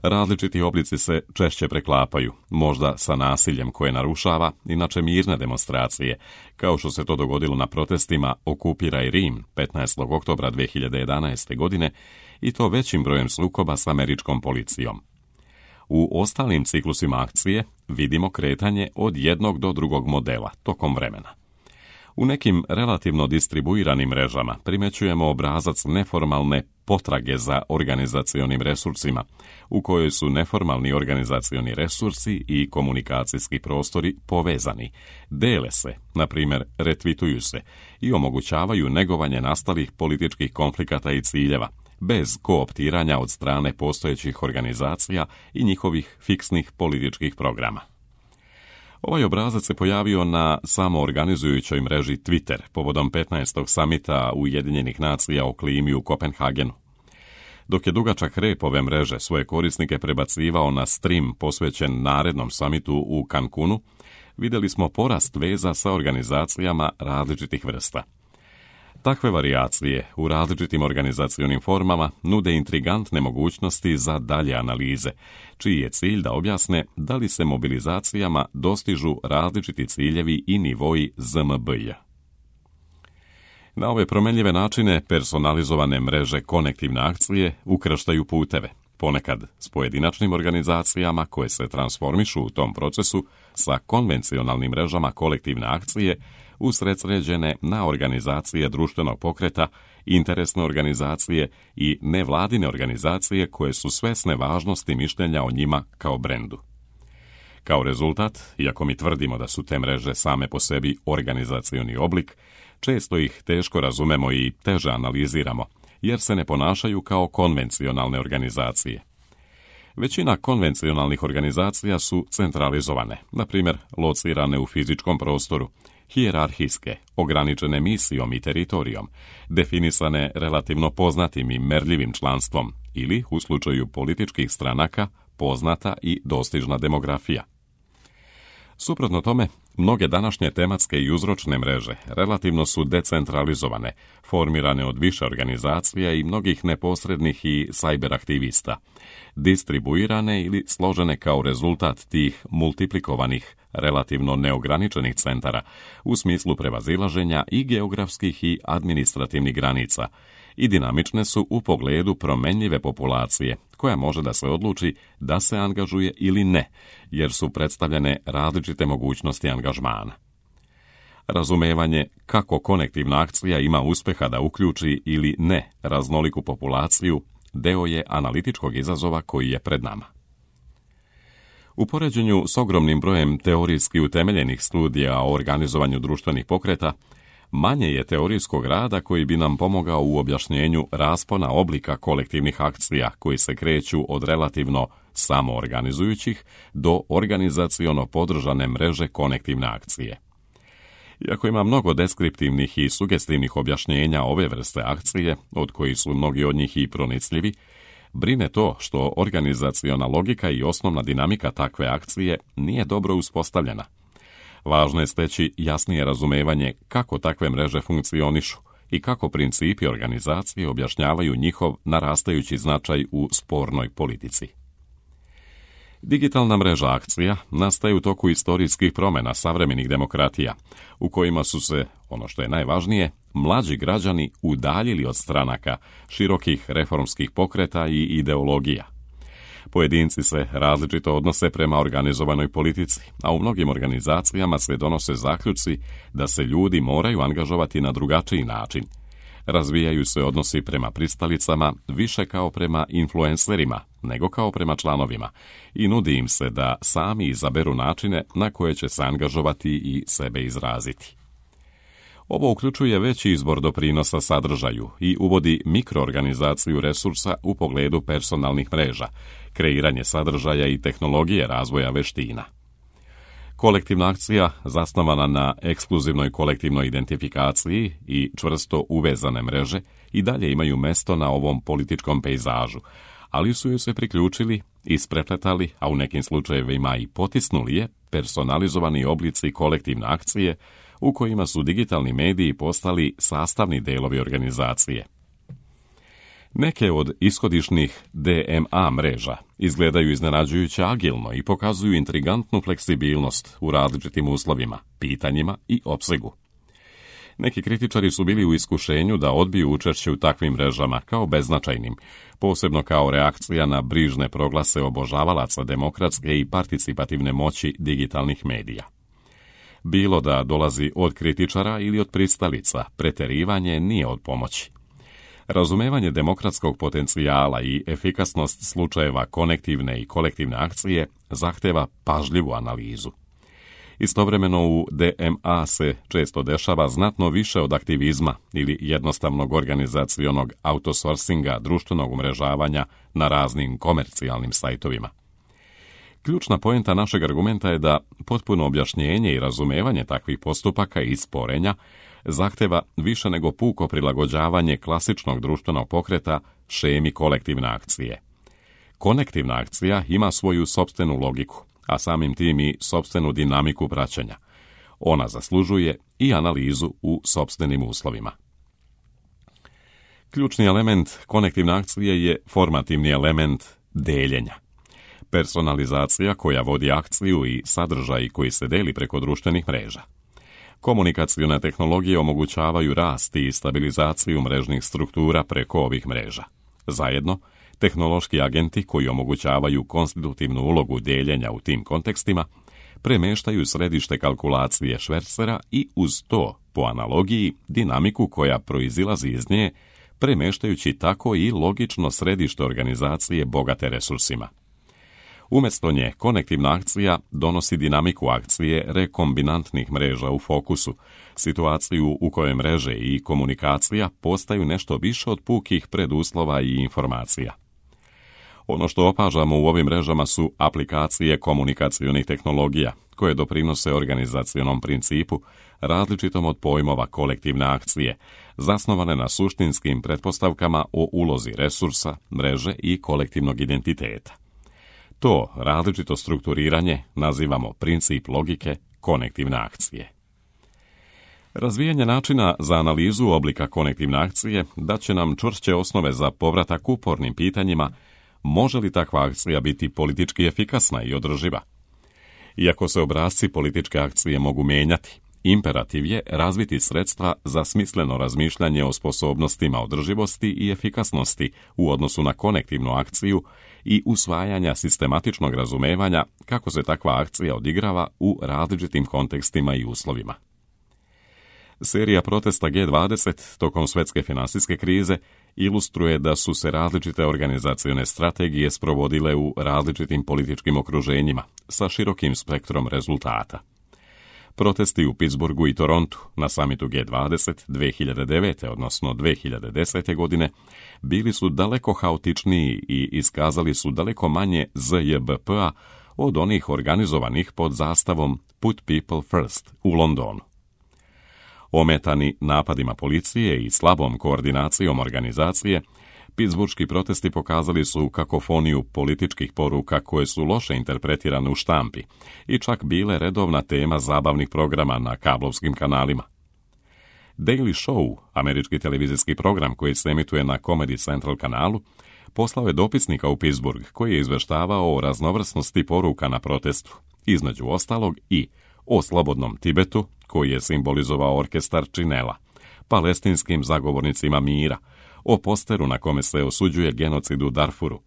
Različiti oblici se češće preklapaju, možda sa nasiljem koje narušava inače mirne demonstracije, kao što se to dogodilo na protestima Okupiraj Rim petnaestog oktobra dve hiljade jedanaeste. godine i to većim brojem sukoba s američkom policijom. U ostalim ciklusima akcije vidimo kretanje od jednog do drugog modela tokom vremena. U nekim relativno distribuiranim mrežama primećujemo obrazac neformalne potrage za organizacionim resursima, u kojoj su neformalni organizacioni resursi i komunikacijski prostori povezani, dele se, na primjer retvituju se i omogućavaju negovanje nastalih političkih konflikata i ciljeva, bez kooptiranja od strane postojećih organizacija i njihovih fiksnih političkih programa. Ovaj obrazac se pojavio na samoorganizujućoj mreži Twitter povodom petnaestog samita Ujedinjenih nacija o klimi u Kopenhagenu. Dok je dugačak rep ove mreže svoje korisnike prebacivao na stream posvećen narednom samitu u Cancunu, vidjeli smo porast veza sa organizacijama različitih vrsta. Takve varijacije u različitim organizacionim formama nude intrigantne mogućnosti za dalje analize, čiji je cilj da objasne da li se mobilizacijama dostižu različiti ciljevi i nivoji Z M B-a. Na ove promenljive načine personalizovane mreže konektivne akcije ukrštaju puteve, ponekad s pojedinačnim organizacijama koje se transformišu u tom procesu sa konvencionalnim mrežama kolektivne akcije usredsređene na organizacije društvenog pokreta, interesne organizacije i nevladine organizacije koje su svesne važnosti mišljenja o njima kao brendu. Kao rezultat, iako mi tvrdimo da su te mreže same po sebi organizacioni oblik, često ih teško razumemo i teže analiziramo, jer se ne ponašaju kao konvencionalne organizacije. Većina konvencionalnih organizacija su centralizovane, na primjer locirane u fizičkom prostoru, hijerarhijske, ograničene misijom i teritorijom, definisane relativno poznatim i merljivim članstvom ili, u slučaju političkih stranaka, poznata i dostižna demografija. Suprotno tome, mnoge današnje tematske i uzročne mreže relativno su decentralizovane, formirane od više organizacija i mnogih neposrednih i sajber aktivista, distribuirane ili složene kao rezultat tih multiplikovanih, relativno neograničenih centara u smislu prevazilaženja i geografskih i administrativnih granica i dinamične su u pogledu promenljive populacije, koja može da se odluči da se angažuje ili ne, jer su predstavljene različite mogućnosti angažmana. Razumevanje kako konektivna akcija ima uspeha da uključi ili ne raznoliku populaciju deo je analitičkog izazova koji je pred nama. U poređenju s ogromnim brojem teorijski utemeljenih studija o organizovanju društvenih pokreta, manje je teorijskog rada koji bi nam pomogao u objašnjenju raspona oblika kolektivnih akcija koji se kreću od relativno samoorganizujućih do organizaciono podržane mreže konektivne akcije. Iako ima mnogo deskriptivnih i sugestivnih objašnjenja ove vrste akcije, od kojih su mnogi od njih i pronicljivi, brine to što organizaciona logika i osnovna dinamika takve akcije nije dobro uspostavljena. Važno je steći jasnije razumevanje kako takve mreže funkcionišu i kako principi organizacije objašnjavaju njihov narastajući značaj u spornoj politici. Digitalna mreža akcija nastaje u toku istorijskih promjena savremenih demokratija, u kojima su se, ono što je najvažnije, mlađi građani udaljili od stranaka, širokih reformskih pokreta i ideologija. Pojedinci se različito odnose prema organizovanoj politici, a u mnogim organizacijama se donose zaključci da se ljudi moraju angažovati na drugačiji način. Razvijaju se odnosi prema pristalicama više kao prema influencerima nego kao prema članovima i nudi im se da sami izaberu načine na koje će se angažovati i sebe izraziti. Ovo uključuje veći izbor doprinosa sadržaju i uvodi mikroorganizaciju resursa u pogledu personalnih mreža, kreiranje sadržaja i tehnologije razvoja veština. Kolektivna akcija, zasnovana na ekskluzivnoj kolektivnoj identifikaciji i čvrsto uvezane mreže, i dalje imaju mesto na ovom političkom pejzažu, ali su joj se priključili, isprepletali, a u nekim slučajevima i potisnuli je personalizovani oblici kolektivne akcije, u kojima su digitalni mediji postali sastavni delovi organizacije. Neke od ishodišnih D M A mreža izgledaju iznenađujuće agilno i pokazuju intrigantnu fleksibilnost u različitim uslovima, pitanjima i opsegu. Neki kritičari su bili u iskušenju da odbiju učešće u takvim mrežama kao beznačajnim, posebno kao reakcija na brižne proglase obožavalaca demokratske i participativne moći digitalnih medija. Bilo da dolazi od kritičara ili od pristalica, preterivanje nije od pomoći. Razumevanje demokratskog potencijala i efikasnost slučajeva konektivne i kolektivne akcije zahteva pažljivu analizu. Istovremeno u D M A se često dešava znatno više od aktivizma ili jednostavnog organizacionog outsourcinga društvenog umrežavanja na raznim komercijalnim sajtovima. Ključna poenta našeg argumenta je da potpuno objašnjenje i razumevanje takvih postupaka i sporenja zahteva više nego puko prilagođavanje klasičnog društvenog pokreta šemi kolektivne akcije. Konektivna akcija ima svoju sopstvenu logiku, a samim tim i sopstvenu dinamiku praćenja. Ona zaslužuje i analizu u sopstvenim uslovima. Ključni element konektivne akcije je formativni element deljenja. Personalizacija koja vodi akciju i sadržaj koji se deli preko društvenih mreža. Komunikacione tehnologije omogućavaju rast i stabilizaciju mrežnih struktura preko ovih mreža. Zajedno, tehnološki agenti koji omogućavaju konstitutivnu ulogu deljenja u tim kontekstima premeštaju središte kalkulacije švercera i uz to, po analogiji, dinamiku koja proizilazi iz nje, premeštajući tako i logično središte organizacije bogate resursima. Umjesto nje, konektivna akcija donosi dinamiku akcije rekombinantnih mreža u fokusu, situaciju u kojoj mreže i komunikacija postaju nešto više od pukih preduslova i informacija. Ono što opažamo u ovim mrežama su aplikacije komunikacionih tehnologija, koje doprinose organizacionom principu, različitom od pojmova kolektivne akcije, zasnovane na suštinskim pretpostavkama o ulozi resursa, mreže i kolektivnog identiteta. To različito strukturiranje nazivamo princip logike konektivne akcije. Razvijanje načina za analizu oblika konektivne akcije daće nam čvršće osnove za povratak upornim pitanjima može li takva akcija biti politički efikasna i održiva. Iako se obrasci političke akcije mogu menjati, imperativ je razviti sredstva za smisleno razmišljanje o sposobnostima održivosti i efikasnosti u odnosu na konektivnu akciju i usvajanja sistematičnog razumevanja kako se takva akcija odigrava u različitim kontekstima i uslovima. Serija protesta G dvadeset tokom svjetske finansijske krize ilustruje da su se različite organizacione strategije sprovodile u različitim političkim okruženjima sa širokim spektrom rezultata. Protesti u Pittsburghu i Torontu na samitu G dvadeset dve hiljade devete. odnosno dve hiljade desete. godine bili su daleko haotičniji i iskazali su daleko manje Z J B P-a od onih organizovanih pod zastavom Put People First u Londonu. Ometani napadima policije i slabom koordinacijom organizacije, pittsburški protesti pokazali su kakofoniju političkih poruka koje su loše interpretirane u štampi i čak bile redovna tema zabavnih programa na kablovskim kanalima. Daily Show, američki televizijski program koji se emituje na Comedy Central kanalu, poslao je dopisnika u Pittsburgh koji je izveštavao o raznovrsnosti poruka na protestu, između ostalog i o slobodnom Tibetu, koji je simbolizovao orkestar činela, palestinskim zagovornicima mira, o posteru na kome se osuđuje genocid u Darfuru,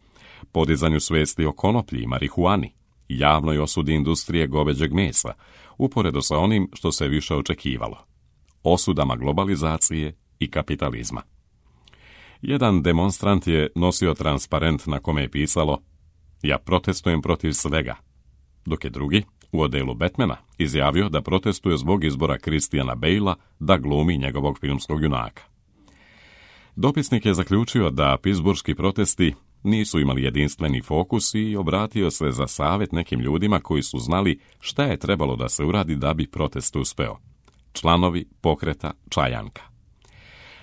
podizanju svijesti o konoplji i marihuani, javnoj osudi industrije goveđeg mesa, uporedo sa onim što se više očekivalo, osudama globalizacije i kapitalizma. Jedan demonstrant je nosio transparent na kome je pisalo "Ja protestujem protiv svega", dok je drugi, u odelu Batmana, izjavio da protestuje zbog izbora Christiana Bale'a da glumi njegovog filmskog junaka. Dopisnik je zaključio da pittsburški protesti nisu imali jedinstveni fokus i obratio se za savjet nekim ljudima koji su znali šta je trebalo da se uradi da bi protest uspeo. Članovi pokreta Čajanka.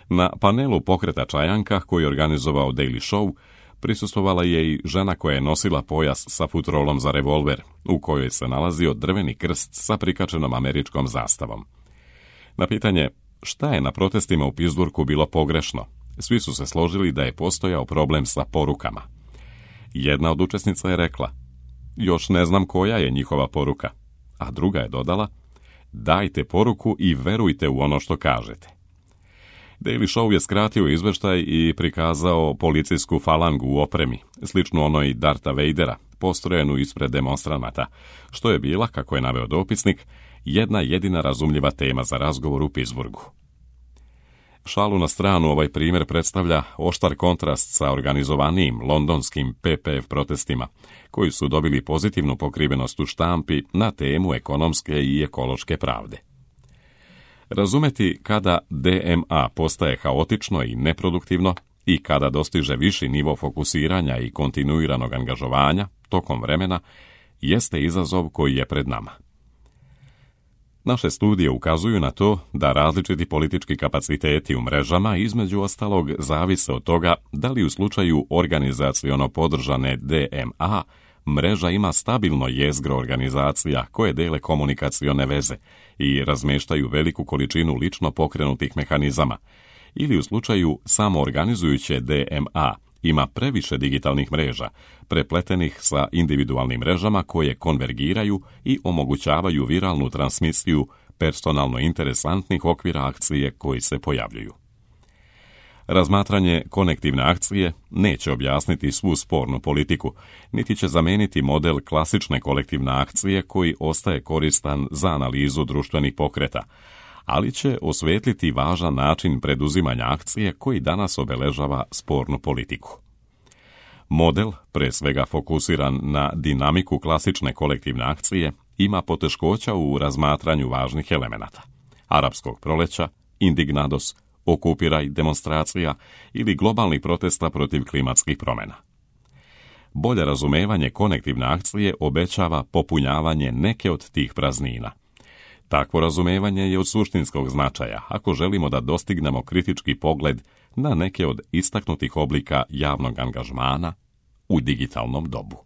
Na panelu pokreta Čajanka, koji je organizovao Daily Show, prisustvovala je i žena koja je nosila pojas sa futrolom za revolver, u kojoj se nalazio drveni krst sa prikačenom američkom zastavom. Na pitanje šta je na protestima u Pittsburghu bilo pogrešno, svi su se složili da je postojao problem sa porukama. Jedna od učesnica je rekla: "Još ne znam koja je njihova poruka", a druga je dodala: "Dajte poruku i verujte u ono što kažete." Daily Show je skratio izveštaj i prikazao policijsku falangu u opremi, sličnu onoj Darta Vadera, postrojenu ispred demonstranata, što je bila, kako je naveo dopisnik, jedna jedina razumljiva tema za razgovor u Pittsburghu. Šalu na stranu, ovaj primjer predstavlja oštar kontrast sa organizovanijim londonskim P P F protestima, koji su dobili pozitivnu pokrivenost u štampi na temu ekonomske i ekološke pravde. Razumeti kada D M A postaje haotično i neproduktivno i kada dostiže viši nivo fokusiranja i kontinuiranog angažovanja tokom vremena jeste izazov koji je pred nama. Naše studije ukazuju na to da različiti politički kapaciteti u mrežama između ostalog zavise od toga da li u slučaju organizaciono podržane D M A mreža ima stabilno jezgro organizacija koje dele komunikacione veze i razmeštaju veliku količinu lično pokrenutih mehanizama, ili u slučaju samoorganizujuće D M A ima previše digitalnih mreža, prepletenih sa individualnim mrežama koje konvergiraju i omogućavaju viralnu transmisiju personalno interesantnih okvira akcije koji se pojavljuju. Razmatranje konektivne akcije neće objasniti svu spornu politiku, niti će zameniti model klasične kolektivne akcije koji ostaje koristan za analizu društvenih pokreta, ali će osvetliti važan način preduzimanja akcije koji danas obeležava spornu politiku. Model, pre svega fokusiran na dinamiku klasične kolektivne akcije, ima poteškoća u razmatranju važnih elemenata: arapskog proleća, indignados, okupiraj demonstracija ili globalnih protesta protiv klimatskih promjena. Bolje razumevanje konektivne akcije obećava popunjavanje neke od tih praznina. Takvo razumevanje je od suštinskog značaja ako želimo da dostignemo kritički pogled na neke od istaknutih oblika javnog angažmana u digitalnom dobu.